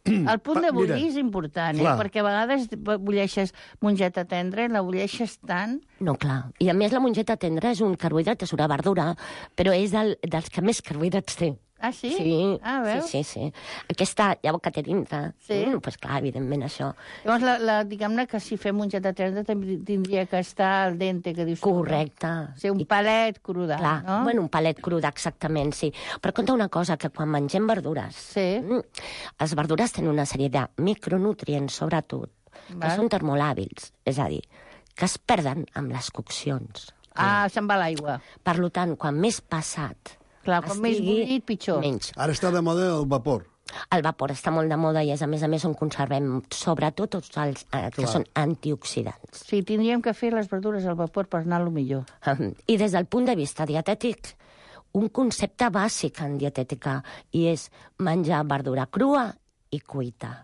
el punt de bullir és important, perquè a vegades bulleixes mongeta tendra i la bulleixes tant... No, clar. I a més la mongeta tendra és un carbohidrat, és una verdura, però és dels que més carbohidrats té. Ah, sí? Sí. Ah, veus? Sí. Aquesta llavor que té dintre. Sí. Doncs clar, evidentment, això. Llavors, diguem-ne que si fem mongeta tendra també tindria que estar al dente, que dius... Correcte. Ser un palet cruda, clar, no? Bueno, un palet cruda, exactament, sí. Però compta una cosa, que quan mengem verdures, les verdures tenen una sèrie de micronutrients, sobretot, que són termolàbils, és a dir, que es perden amb les coccions. Ah, se'n va l'aigua. Per tant, quan més passat... Clar, com més bullit, pitjor. Menys. Ara està de moda el vapor. El vapor està molt de moda i és, a més, on conservem sobretot tots els que són antioxidants. Sí, tindríem que fer les verdures al vapor per anar-lo millor. I des del punt de vista dietètic, un concepte bàsic en dietètica, i és menjar verdura crua i cuita.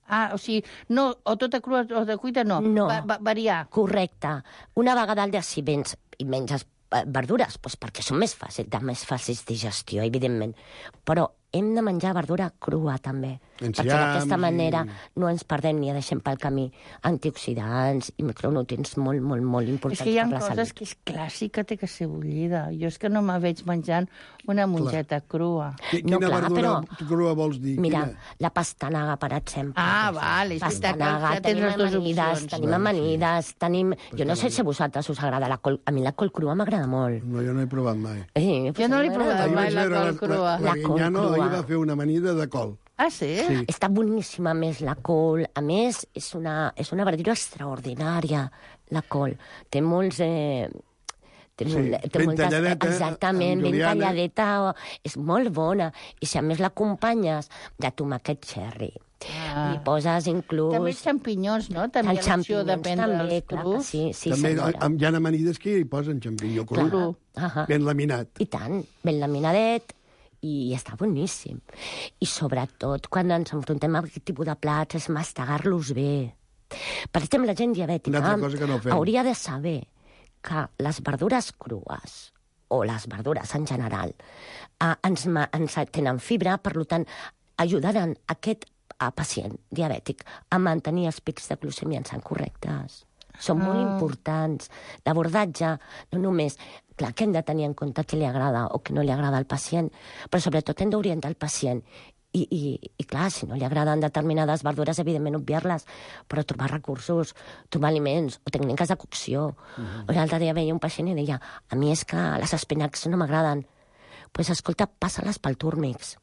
Ah, o sigui, no, o tota crua o de cuita, no. No. Variar. Correcte. Una vegada al dia, si vens i menges verdures, doncs perquè són més fàcils digestió, evidentment. Però hem de menjar verdura crua, també. Perquè d'aquesta manera no ens perdem ni deixem pel camí antioxidants i micronutrients molt, molt, molt importants per la salut. És que hi ha coses que és clàssic que té que ser bullida. Jo és que no me veig menjant una mongeta crua. Quina verdura crua vols dir? Mira, la pastanaga, per exemple. Ah, vale. Pastanaga, tenim amanides, tenim... Jo no sé si a vosaltres us agrada la col... A mi la col crua m'agrada molt. No, jo no he provat mai. Jo no l'he provat mai, la col crua. La Guinyano ahir va fer una amanida de col. Ah, sí? Està boníssima, més, la col. A més, és una verdura extraordinària, la col. Té molts... ben talladeta. Exactament, ben talladeta. És molt bona. I si a més l'acompanyes de tomàquet cherry, li poses inclús... També els xampinyons, no? També hi ha l'opció de prendre els crus. Sí, també senyora. hi ha amanides que hi posen xampinyó cru. Ben laminat. I tant, ben laminadet. I està boníssim. I sobretot, quan ens enfrontem a aquest tipus de plats, és mastegar-los bé. Per exemple, la gent diabètica hauria de saber que les verdures crues, o les verdures en general, ens tenen fibra, per tant, ajudaran aquest pacient diabètic a mantenir els pics de glucèmia en sang correctes. Són molt importants. L'abordatge, no només... Clar, que hem de tenir en compte què li agrada o què no li agrada al pacient, però sobretot hem d'orientar el pacient. I clar, si no li agraden determinades verdures, evidentment obviar-les, però trobar recursos, trobar aliments o tècniques de cocció. L'altre dia veia un pacient i deia, a mi és que les espinacs no m'agraden. Doncs escolta, passa-les pel túrmix.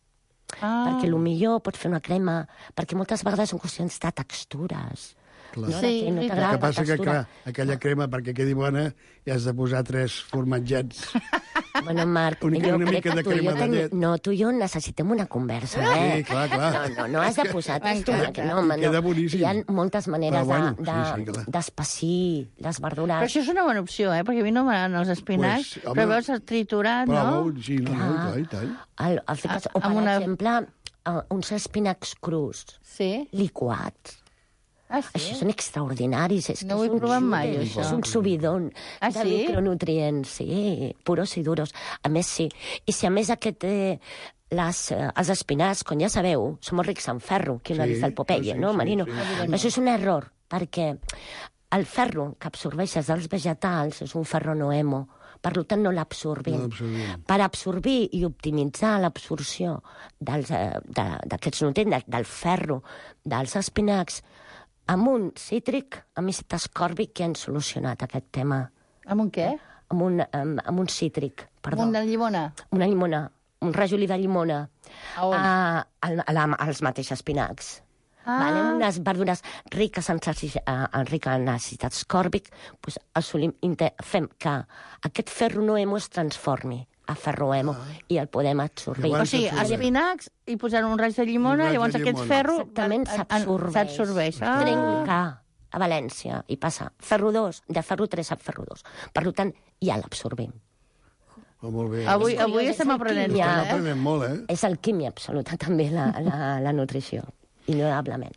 Perquè millor pots fer una crema, perquè moltes vegades són qüestions de textures. Clar. No, Sí, no veritat. El t'agrada que la passa que, textura. clar, aquella crema, perquè quedi bona, hi has de posar 3 formatgets. Bueno, Marc, Una jo mica crec de que tu i crema jo de llet. no, tu i jo necessitem una conversa, Sí, clar. No has de posar textura, que no, home, no. Queda boníssim. Hi ha moltes maneres Però bueno, sí, clar. d'espessir les verdures. Però això és una bona opció, perquè a mi no m'agraden els espinacs, Pues, home, però veus el triturat, Però, no? sí, no, i tant. El fiques, o, per exemple, uns espinacs crus, Sí. liquats. Ah, sí? Això són extraordinaris. És No que ho he provat mai, això. És un subidon Ah, de sí? micronutrients, sí, puros i duros. A més, sí. I si a més els espinacs, com ja sabeu, són molt rics en ferro, que no ha Sí, vist el Popeye, sí, no, sí, Marino? sí. Això és un error, perquè el ferro que absorbeixes dels vegetals és un ferro noemo, per tant no l'absorbim. No l'absorbim. Per absorbir i optimitzar l'absorció d'aquests nutrients, del ferro, dels espinacs, amb un cítric, amb àcid ascòrbic, que han solucionat aquest tema. Amb un què? Amb un cítric, perdó. Amb una llimona? Una llimona, un rajolí de llimona. A on? Als mateixos espinacs. Ah. Vale? Unes verdures riques en àcid ascòrbic, doncs fem que aquest ferro noemo es transformi a ferro hemo i el podem absorbir. O sigui, espinacs i posar un raig de llimona, llavors aquest ferro exactament s'absorbeix. Trenca a València i passa ferro 2, de ferro 3 a ferro 2. Per tant, ja l'absorbim. Oh, molt bé. Avui estem aprenent. Estem aprenent molt, És alquímia absoluta, també, la nutrició, indudablement.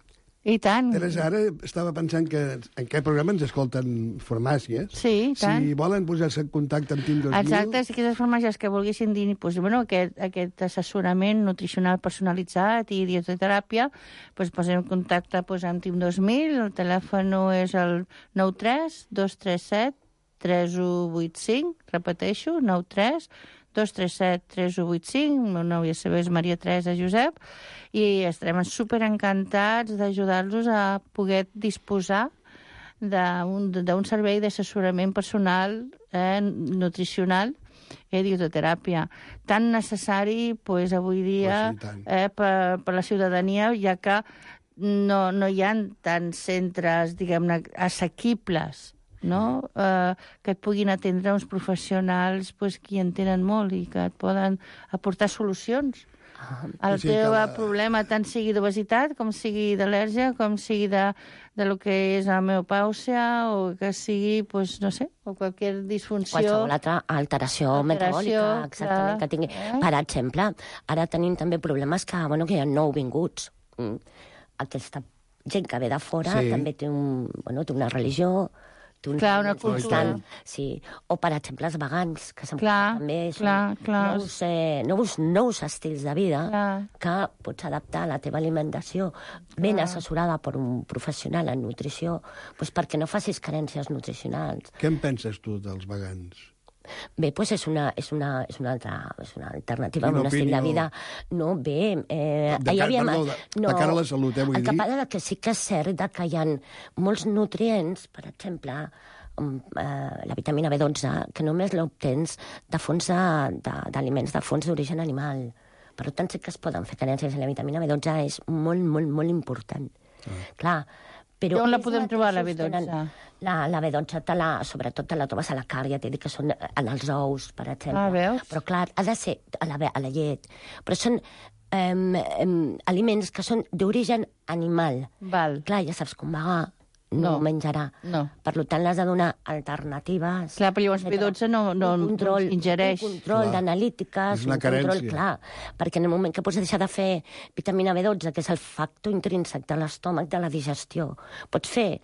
I tant. Teresa, ara estava pensant que en aquest programa ens escolten farmàcies. Sí, i tant. Si volen posar-se en contacte amb Team 2000... Exacte, si aquestes farmàcies que volguessin dir aquest assessorament nutricional personalitzat i dietoteràpia, posen en contacte amb Team 2000, el telèfon és el 93 237 3185, repeteixo, 93 237 3185, el meu nom ja sabeu és Maria Teresa Josep, i estarem superencantats d'ajudar-los a poder disposar d'un servei d'assessorament personal nutricional i dietoteràpia, tan necessari avui dia per la ciutadania, ja que no hi ha tants centres, diguem-ne, assequibles, no? Que et puguin atendre uns professionals que hi en tenen molt i que et poden aportar solucions. El teu problema, tant sigui d'obesitat, com sigui d'al·lèrgia, com sigui de lo que és la menopàusia, o que sigui, no sé, o qualsevol disfunció. Qualsevol altra alteració metabòlica, exactament, que tingui. Per exemple, ara tenim també problemes que hi ha nouvinguts. Aquesta gent que ve de fora també té una religió, clar, una cultura. Sí. O, per exemple, els vegans, que també són nous estils de vida que pots adaptar a la teva alimentació ben assessorada per un professional en nutrició, perquè no facis carències nutricionals. Què en penses tu dels vegans? Bé, és una alternativa, un estil de vida. No, bé... de cara a la salut, vull dir. El que passa que sí que és cert que hi ha molts nutrients, per exemple, la vitamina B12, que només l'obtens de fons d'aliments, de fons d'origen animal. Per tant, sí que es poden fer carències. La vitamina B12 és molt, molt, molt important. Clar, però on la podem trobar, la B12? La B12, sobretot te la trobes a la carn, ja t'he dit que són en els ous, per exemple. Veus? Però, clar, ha de ser a la llet. Però són aliments que són d'origen animal. Val. Clar, ja saps, com vegà no menjarà. No. Per tant, l'has de donar alternatives. Clar, però llavors B12 no ingereix. Un control d'analítiques, un control, clar. Perquè en el moment que pots deixar de fer vitamina B12, que és el factor intrínsec de l'estómac, de la digestió, pots fer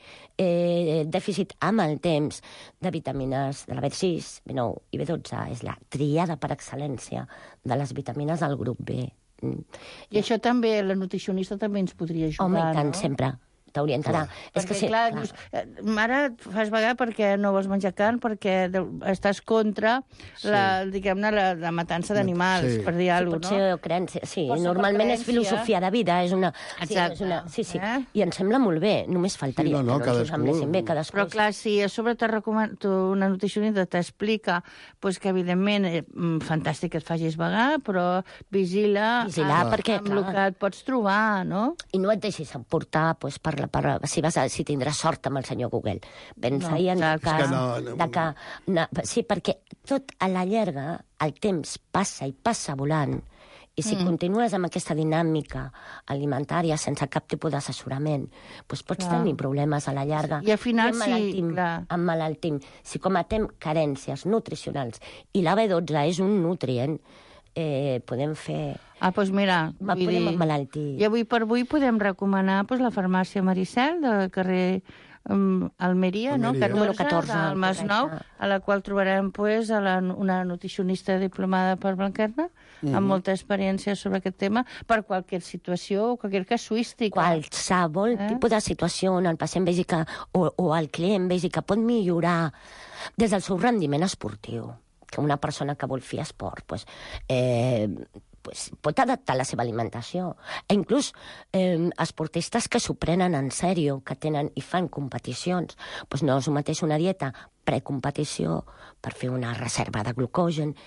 dèficit amb el temps de vitamines de la B6, B9 i B12. És la triada per excel·lència de les vitamines del grup B. I això també, la nutricionista també ens podria ajudar, no? Home, i tant, no? sempre. T'orientarà. Perquè, clar, dius, ara et fas vagar perquè no vols menjar carn, perquè estàs contra la matança d'animals, per dir alguna cosa, no? Potser creença, sí. Normalment és filosofia de vida, és una... Sí. I em sembla molt bé, només faltaria que no us semblessin bé cadascú. Però, clar, si a sobre una nutricionista t'explica que, evidentment, fantàstic que et facis vagar, però vigila perquè, amb el que et pots trobar, no? I no et deixis emportar per si tindràs sort amb el senyor Google. Pensa-hi en el cas sí, perquè tot a la llarga el temps passa i passa volant, i si continues amb aquesta dinàmica alimentària sense cap tipus d'assessorament, doncs pots tenir problemes a la llarga. I al final emmalaltim. Si cometem carències nutricionals i la B12 és un nutrient, podem fer... Doncs mira, podem emmalaltir. I avui per avui podem recomanar la farmàcia Maricel del carrer Almeria, no? 14, del Masnou, a la qual trobarem una nutricionista diplomada per Blanquerna, amb molta experiència sobre aquest tema, per qualsevol situació o qualsevol casuística. Qualsevol tipus de situació on el pacient vegi o el client vegi que pot millorar des del seu rendiment esportiu, que una persona que vol fer esport pot adaptar la seva alimentació. Inclús esportistes que s'ho prenen en sèrio, que tenen i fan competicions, no és el mateix una dieta precompetició per fer una reserva de glucogen,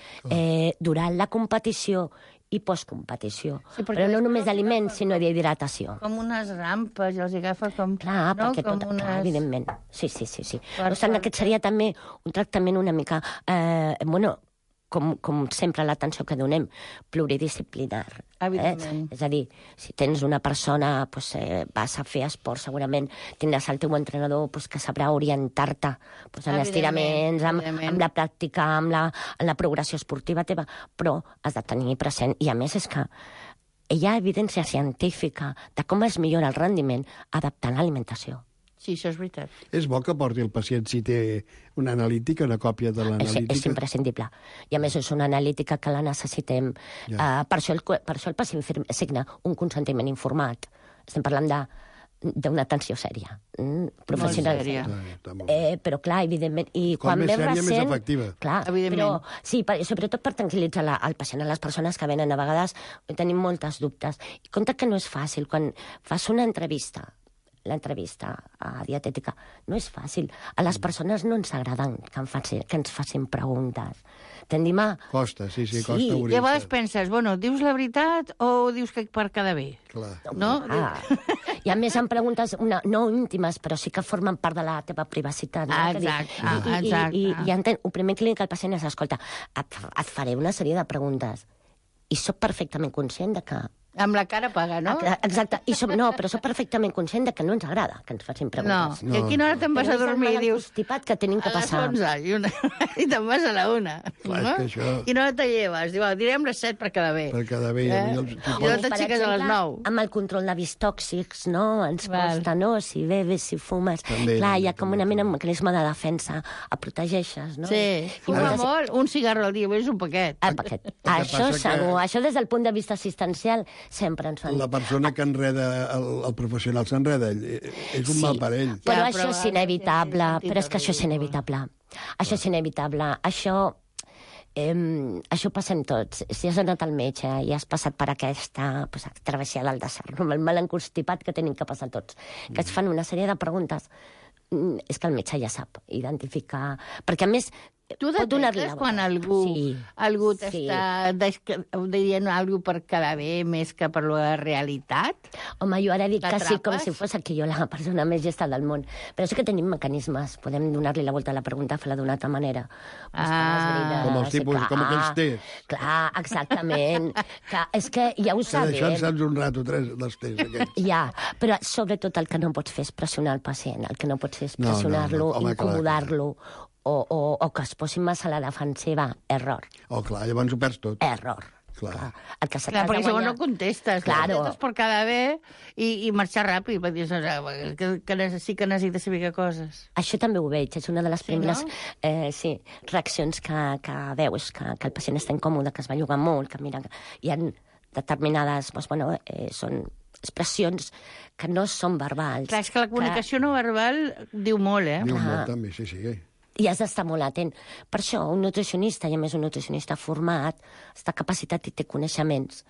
durant la competició i postcompetició. Però no només d'aliments, sinó d'hidratació. Com unes rampes, i els agafa com... Clar, perquè tot, evidentment. Sí. Per tant, aquest seria també un tractament una mica... com sempre l'atenció que donem, pluridisciplinar. És a dir, si tens una persona, vas a fer esport, segurament tindràs el teu entrenador que sabrà orientar-te en estiraments, amb la pràctica, amb la progressió esportiva teva, però has de tenir present, i a més és que hi ha evidència científica de com es millora el rendiment adaptant l'alimentació. Sí, això és veritat. És bo que porti el pacient, si té una analítica, una còpia de l'analítica? És imprescindible. I a més és una analítica que la necessitem. Per això el pacient signa un consentiment informat. Estem parlant d'una atenció sèria, professional. Però clar, evidentment... Com més sèria, més efectiva. Clar, però sí, sobretot per tranquil·litzar el pacient. A les persones que venen a vegades tenim moltes dubtes. I compte que no és fàcil. Quan fas una entrevista, l'entrevista dietètica, no és fàcil. A les persones no ens agraden que ens facin preguntes. Tendim a... Costa, sí, costa obrir-se. I a vegades penses, dius la veritat o dius que per quedar bé? Clar. No? I a més en preguntes no íntimes, però sí que formen part de la teva privacitat. Exacte. I el primer clínic al pacient és, escolta, et faré una sèrie de preguntes i soc perfectament conscient de que... Amb la cara paga, no? Exacte. Però soc perfectament conscient de que no ens agrada que ens facin preguntes. No. I a quina hora te'n vas a dormir? Dius, que tenim que passar. A les 11 i te'n vas a la 1. Clar, és que això... Quina hora te lleves? Diu, direm les 7 per quedar bé. Per quedar bé. I no t'aixeques a les 9. Amb el control d'hàbits tòxics, no? Ens costa, no? Si bebes, si fumes... Clar, hi ha com una mena de mecanisme de defensa. Et protegeixes, no? Sí. Fuma molt. Un cigarro al dia, és un paquet. Un paquet. Això segur. Això des del punt de vista assistencial sempre ens fan... La persona que enreda, el professional s'enreda, és un mal per ell. Però això és inevitable, Això és inevitable. Això passem tots. Si has anat al metge i has passat per aquesta travessia del desert, amb el mal enconstipat que tenim que passar tots, que es fan una sèrie de preguntes, és que el metge ja sap identificar... Perquè, a més, tu detectes quan algú t'està dient alguna cosa per quedar bé més que per la realitat? Home, jo ara dic que sí, com si fos aquí jo la persona més gesta del món. Però sí que tenim mecanismes. Podem donar-li la volta a la pregunta, fer-la d'una altra manera. Com els tipus, com aquells tests. Clar, exactament. És que ja ho sabem. D'això en saps un rato, dels tests aquests. Ja, però sobretot el que no pots fer és pressionar el pacient. El que no pots fer és pressionar-lo, incomodar-lo, o que es posi massa a la defensiva. Error. Clar, llavors ho perds tot. Error. Clar, perquè llavors no contestes. Contestes per quedar bé i marxar ràpid, perquè sí que necessites saber què coses. Això també ho veig, és una de les primeres reaccions que veus, que el pacient està incòmode, que es va llogar molt, que mira, hi ha determinades, són expressions que no són verbals. Clar, és que la comunicació no verbal diu molt, Diu molt, també, sí. I has d'estar molt atent. Per això, un nutricionista, i a més un nutricionista format, està capacitat i té coneixements.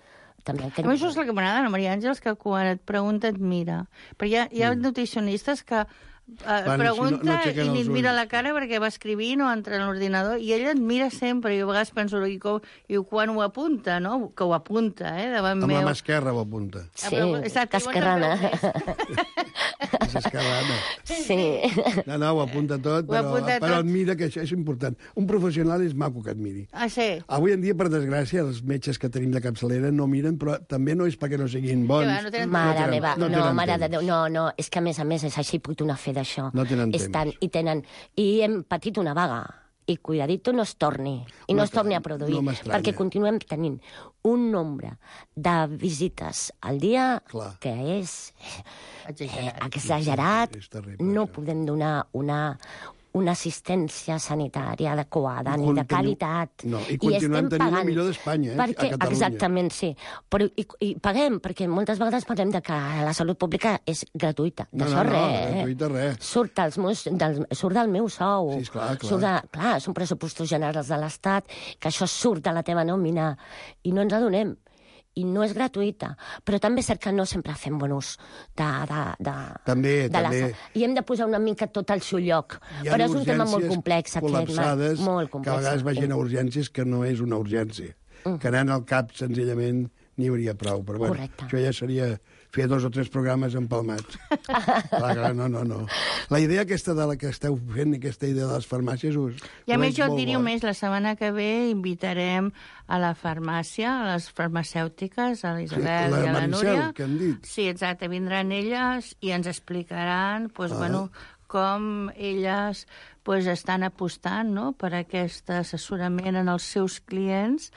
A mi això és el que m'agrada, Maria Àngels, que quan et pregunta et mira. Però hi ha nutricionistes que pregunta i ni et mira la cara perquè va escrivint o entra en l'ordinador i ella et mira sempre. Jo a vegades penso i quan ho apunta, no? Que ho apunta, davant meu. Amb la mà esquerra ho apunta. Sí, cascarrana. Esquerrana. Sí. No, ho apunta tot, però admira que això és important. Un professional és maco que admiri. Ah, sí? Avui en dia, per desgràcia, els metges que tenim de capçalera no miren, però també no és perquè no siguin bons. Mare meva, mare de Déu, no, és que a més és així, puc donar fe d'això. No tenen temps. I hem patit una vaga. I cuidadito no es torni, i no es torni a produir, perquè continuem tenint un nombre de visites al dia que és exagerat. No podem donar una assistència sanitària adequada ni de qualitat. No, i continuem tenint la millor d'Espanya, a Catalunya. Exactament, sí. Però, i paguem, perquè moltes vegades parlem de que la salut pública és gratuïta. D'això gratuïta res. Surt del meu sou. Sí, esclar. Clar, són pressupostos generals de l'Estat, que això surt de la teva nòmina, i no ens adonem. I no és gratuïta, però també és cert que no sempre fem bon ús També. I hem de posar una mica tot al seu lloc. Però és un tema molt complex, col·lapsades, molt complex. Que a vegades vagin a urgències que no és una urgència. Que anant al CAP, senzillament, n'hi hauria prou. Però bueno, això ja seria fer 2 o 3 programes empalmats. Clar, no. La idea aquesta de la que esteu fent, aquesta idea de les farmàcies... I a més jo et diria més, la setmana que ve invitarem a la farmàcia, a les farmacèutiques, a l'Isabel i a la Núria. Que han dit. Sí, exacte, vindran elles i ens explicaran, com elles estan apostant per aquest assessorament en els seus clients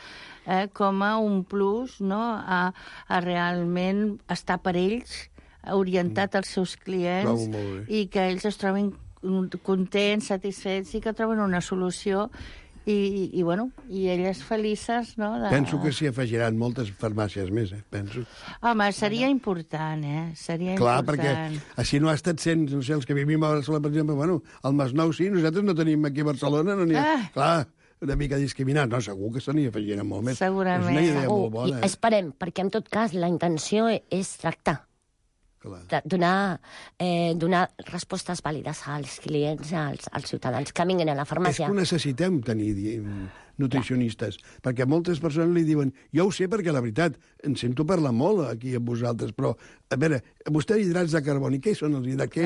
com a un plus a realment estar per ells, orientat als seus clients i que ells es trobin contents, satisfets i que troben una solució i elles felices, no? Penso que s'hi afegiran moltes farmàcies més, penso. Home, seria important, Seria clar, important. Perquè així no ha estat sent, no sé, els que vivim a Barcelona, per exemple, al Masnou sí, nosaltres no tenim aquí a Barcelona, no n'hi ha... Clar, una mica discriminat. No, segur que se n'hi afegiran molt més. Segurament. És una idea molt bona. I esperem, perquè en tot cas la intenció és tractar. Donar respostes vàlides als clients, als ciutadans que vinguin a la farmàcia. És que necessitem tenir nutricionistes, perquè moltes persones li diuen jo ho sé perquè la veritat, em sento parlar molt aquí amb vosaltres, però a veure, vostè hidrats de carboni, què són els hidrats?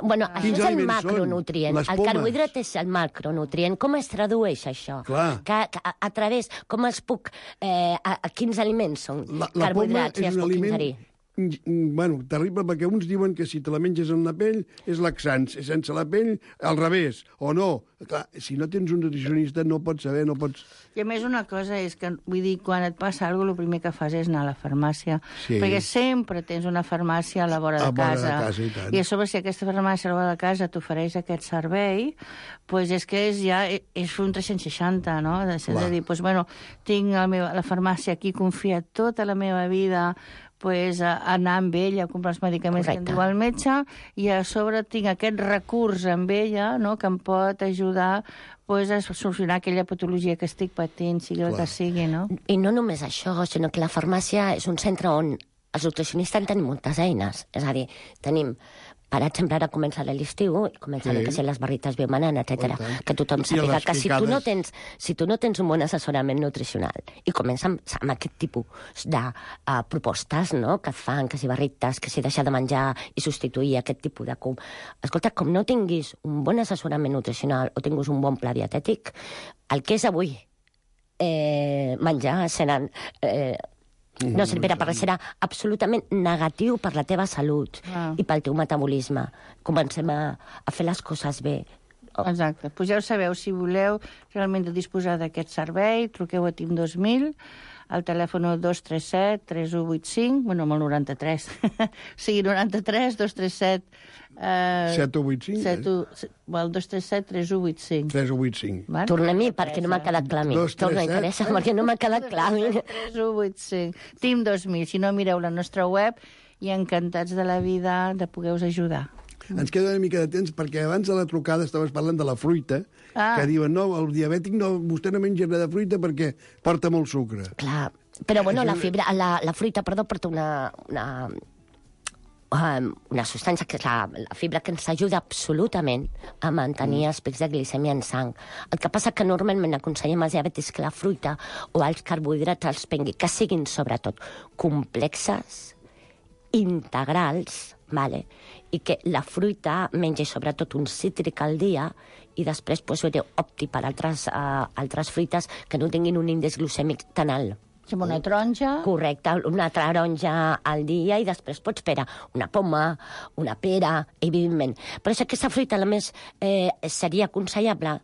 Bueno, això és el macronutrient. El carbohidrat és el macronutrient. Com es tradueix això? A través, com es puc... A quins aliments són carbohidrats i es puc ingerir? Bueno, terrible, perquè uns diuen que si te la menges en la pell és laxant, sense la pell al revés, o no. Clar, si no tens un nutricionista no pots saber, no pots... I a més una cosa és que, vull dir, quan et passa alguna cosa, el primer que fas és anar a la farmàcia, perquè sempre tens una farmàcia a la vora de casa. I a sobre, si aquesta farmàcia a la vora de casa t'ofereix aquest servei, doncs és que és un 360, no? De dir, doncs, bueno, tinc la farmàcia aquí, confia tota la meva vida, anar amb ella a comprar els medicaments que em diu el metge, i a sobre tinc aquest recurs amb ella, que em pot ajudar a solucionar aquella patologia que estic patint, sigui el que sigui, no? I no només això, sinó que la farmàcia és un centre on els nutricionistes tenim moltes eines. És a dir, tenim... Per exemple, ara comença l'estiu i comencen a ser les barrites biomanant, etc. Que tothom sàpiga que si tu no tens un bon assessorament nutricional i comença amb aquest tipus de propostes, no?, que et fan, que si barrites, que si deixar de menjar i substituir aquest tipus de... Escolta, com no tinguis un bon assessorament nutricional o tinguis un bon pla dietètic, el que és avui menjar seran... no servirà per res, serà absolutament negatiu per la teva salut i pel teu metabolisme. Comencem a fer les coses bé. Exacte. Pues ja ho sabeu, si voleu realment disposar d'aquest servei, truqueu a TIM 2000, al telèfon 237-3185, bueno, amb el 93, sigui 93 237... 7185? El 237-3185. 3185. Tornem-hi, perquè no m'ha quedat clar a mi. Torna-hi, Teresa, perquè no m'ha quedat clar a mi. 3185. TIM 2000, si no, mireu la nostra web i encantats de la vida de poder-vos ajudar. Ens queda una mica de temps, perquè abans de la trucada estaves parlant de la fruita, que diuen, no, el diabètic vostè no menja res de fruita perquè porta molt sucre. Clar, però bueno, la fruita, porta una substància que és la fibra que ens ajuda absolutament a mantenir els pics de glicèmia en sang. El que passa que normalment aconsellem als diabètics que la fruita o els carbohidrats els prengui, que siguin sobretot complexes, integrals, vale? I que la fruita mengi sobretot un cítric al dia i després opti per altres fruites que no tinguin un índex glucèmic tan alt. Com una taronja. Correcte, una taronja al dia i després pots prendre una poma, una pera, evidentment. Però és que aquesta fruita, a més, seria aconsellable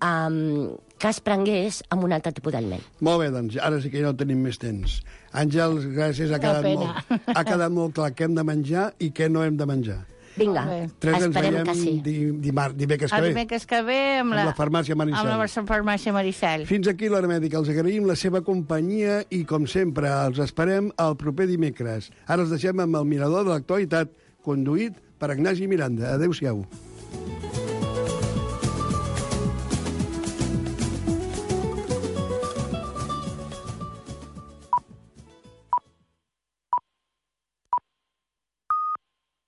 que es prengués amb un altre tipus d'aliment. Molt bé, doncs, ara sí que ja no tenim més temps. Àngels, gràcies, ha quedat molt clar què hem de menjar i què no hem de menjar. Vinga, esperem que sí. Dimecres que ve. El dimecres que ve amb la farmàcia Maricel. Amb la farmàcia Maricel. Fins aquí l'Hora Mèdica. Els agraïm la seva companyia i, com sempre, els esperem el proper dimecres. Ara els deixem amb el Mirador de l'Actualitat, conduït per Ignasi Miranda. Adéu-siau.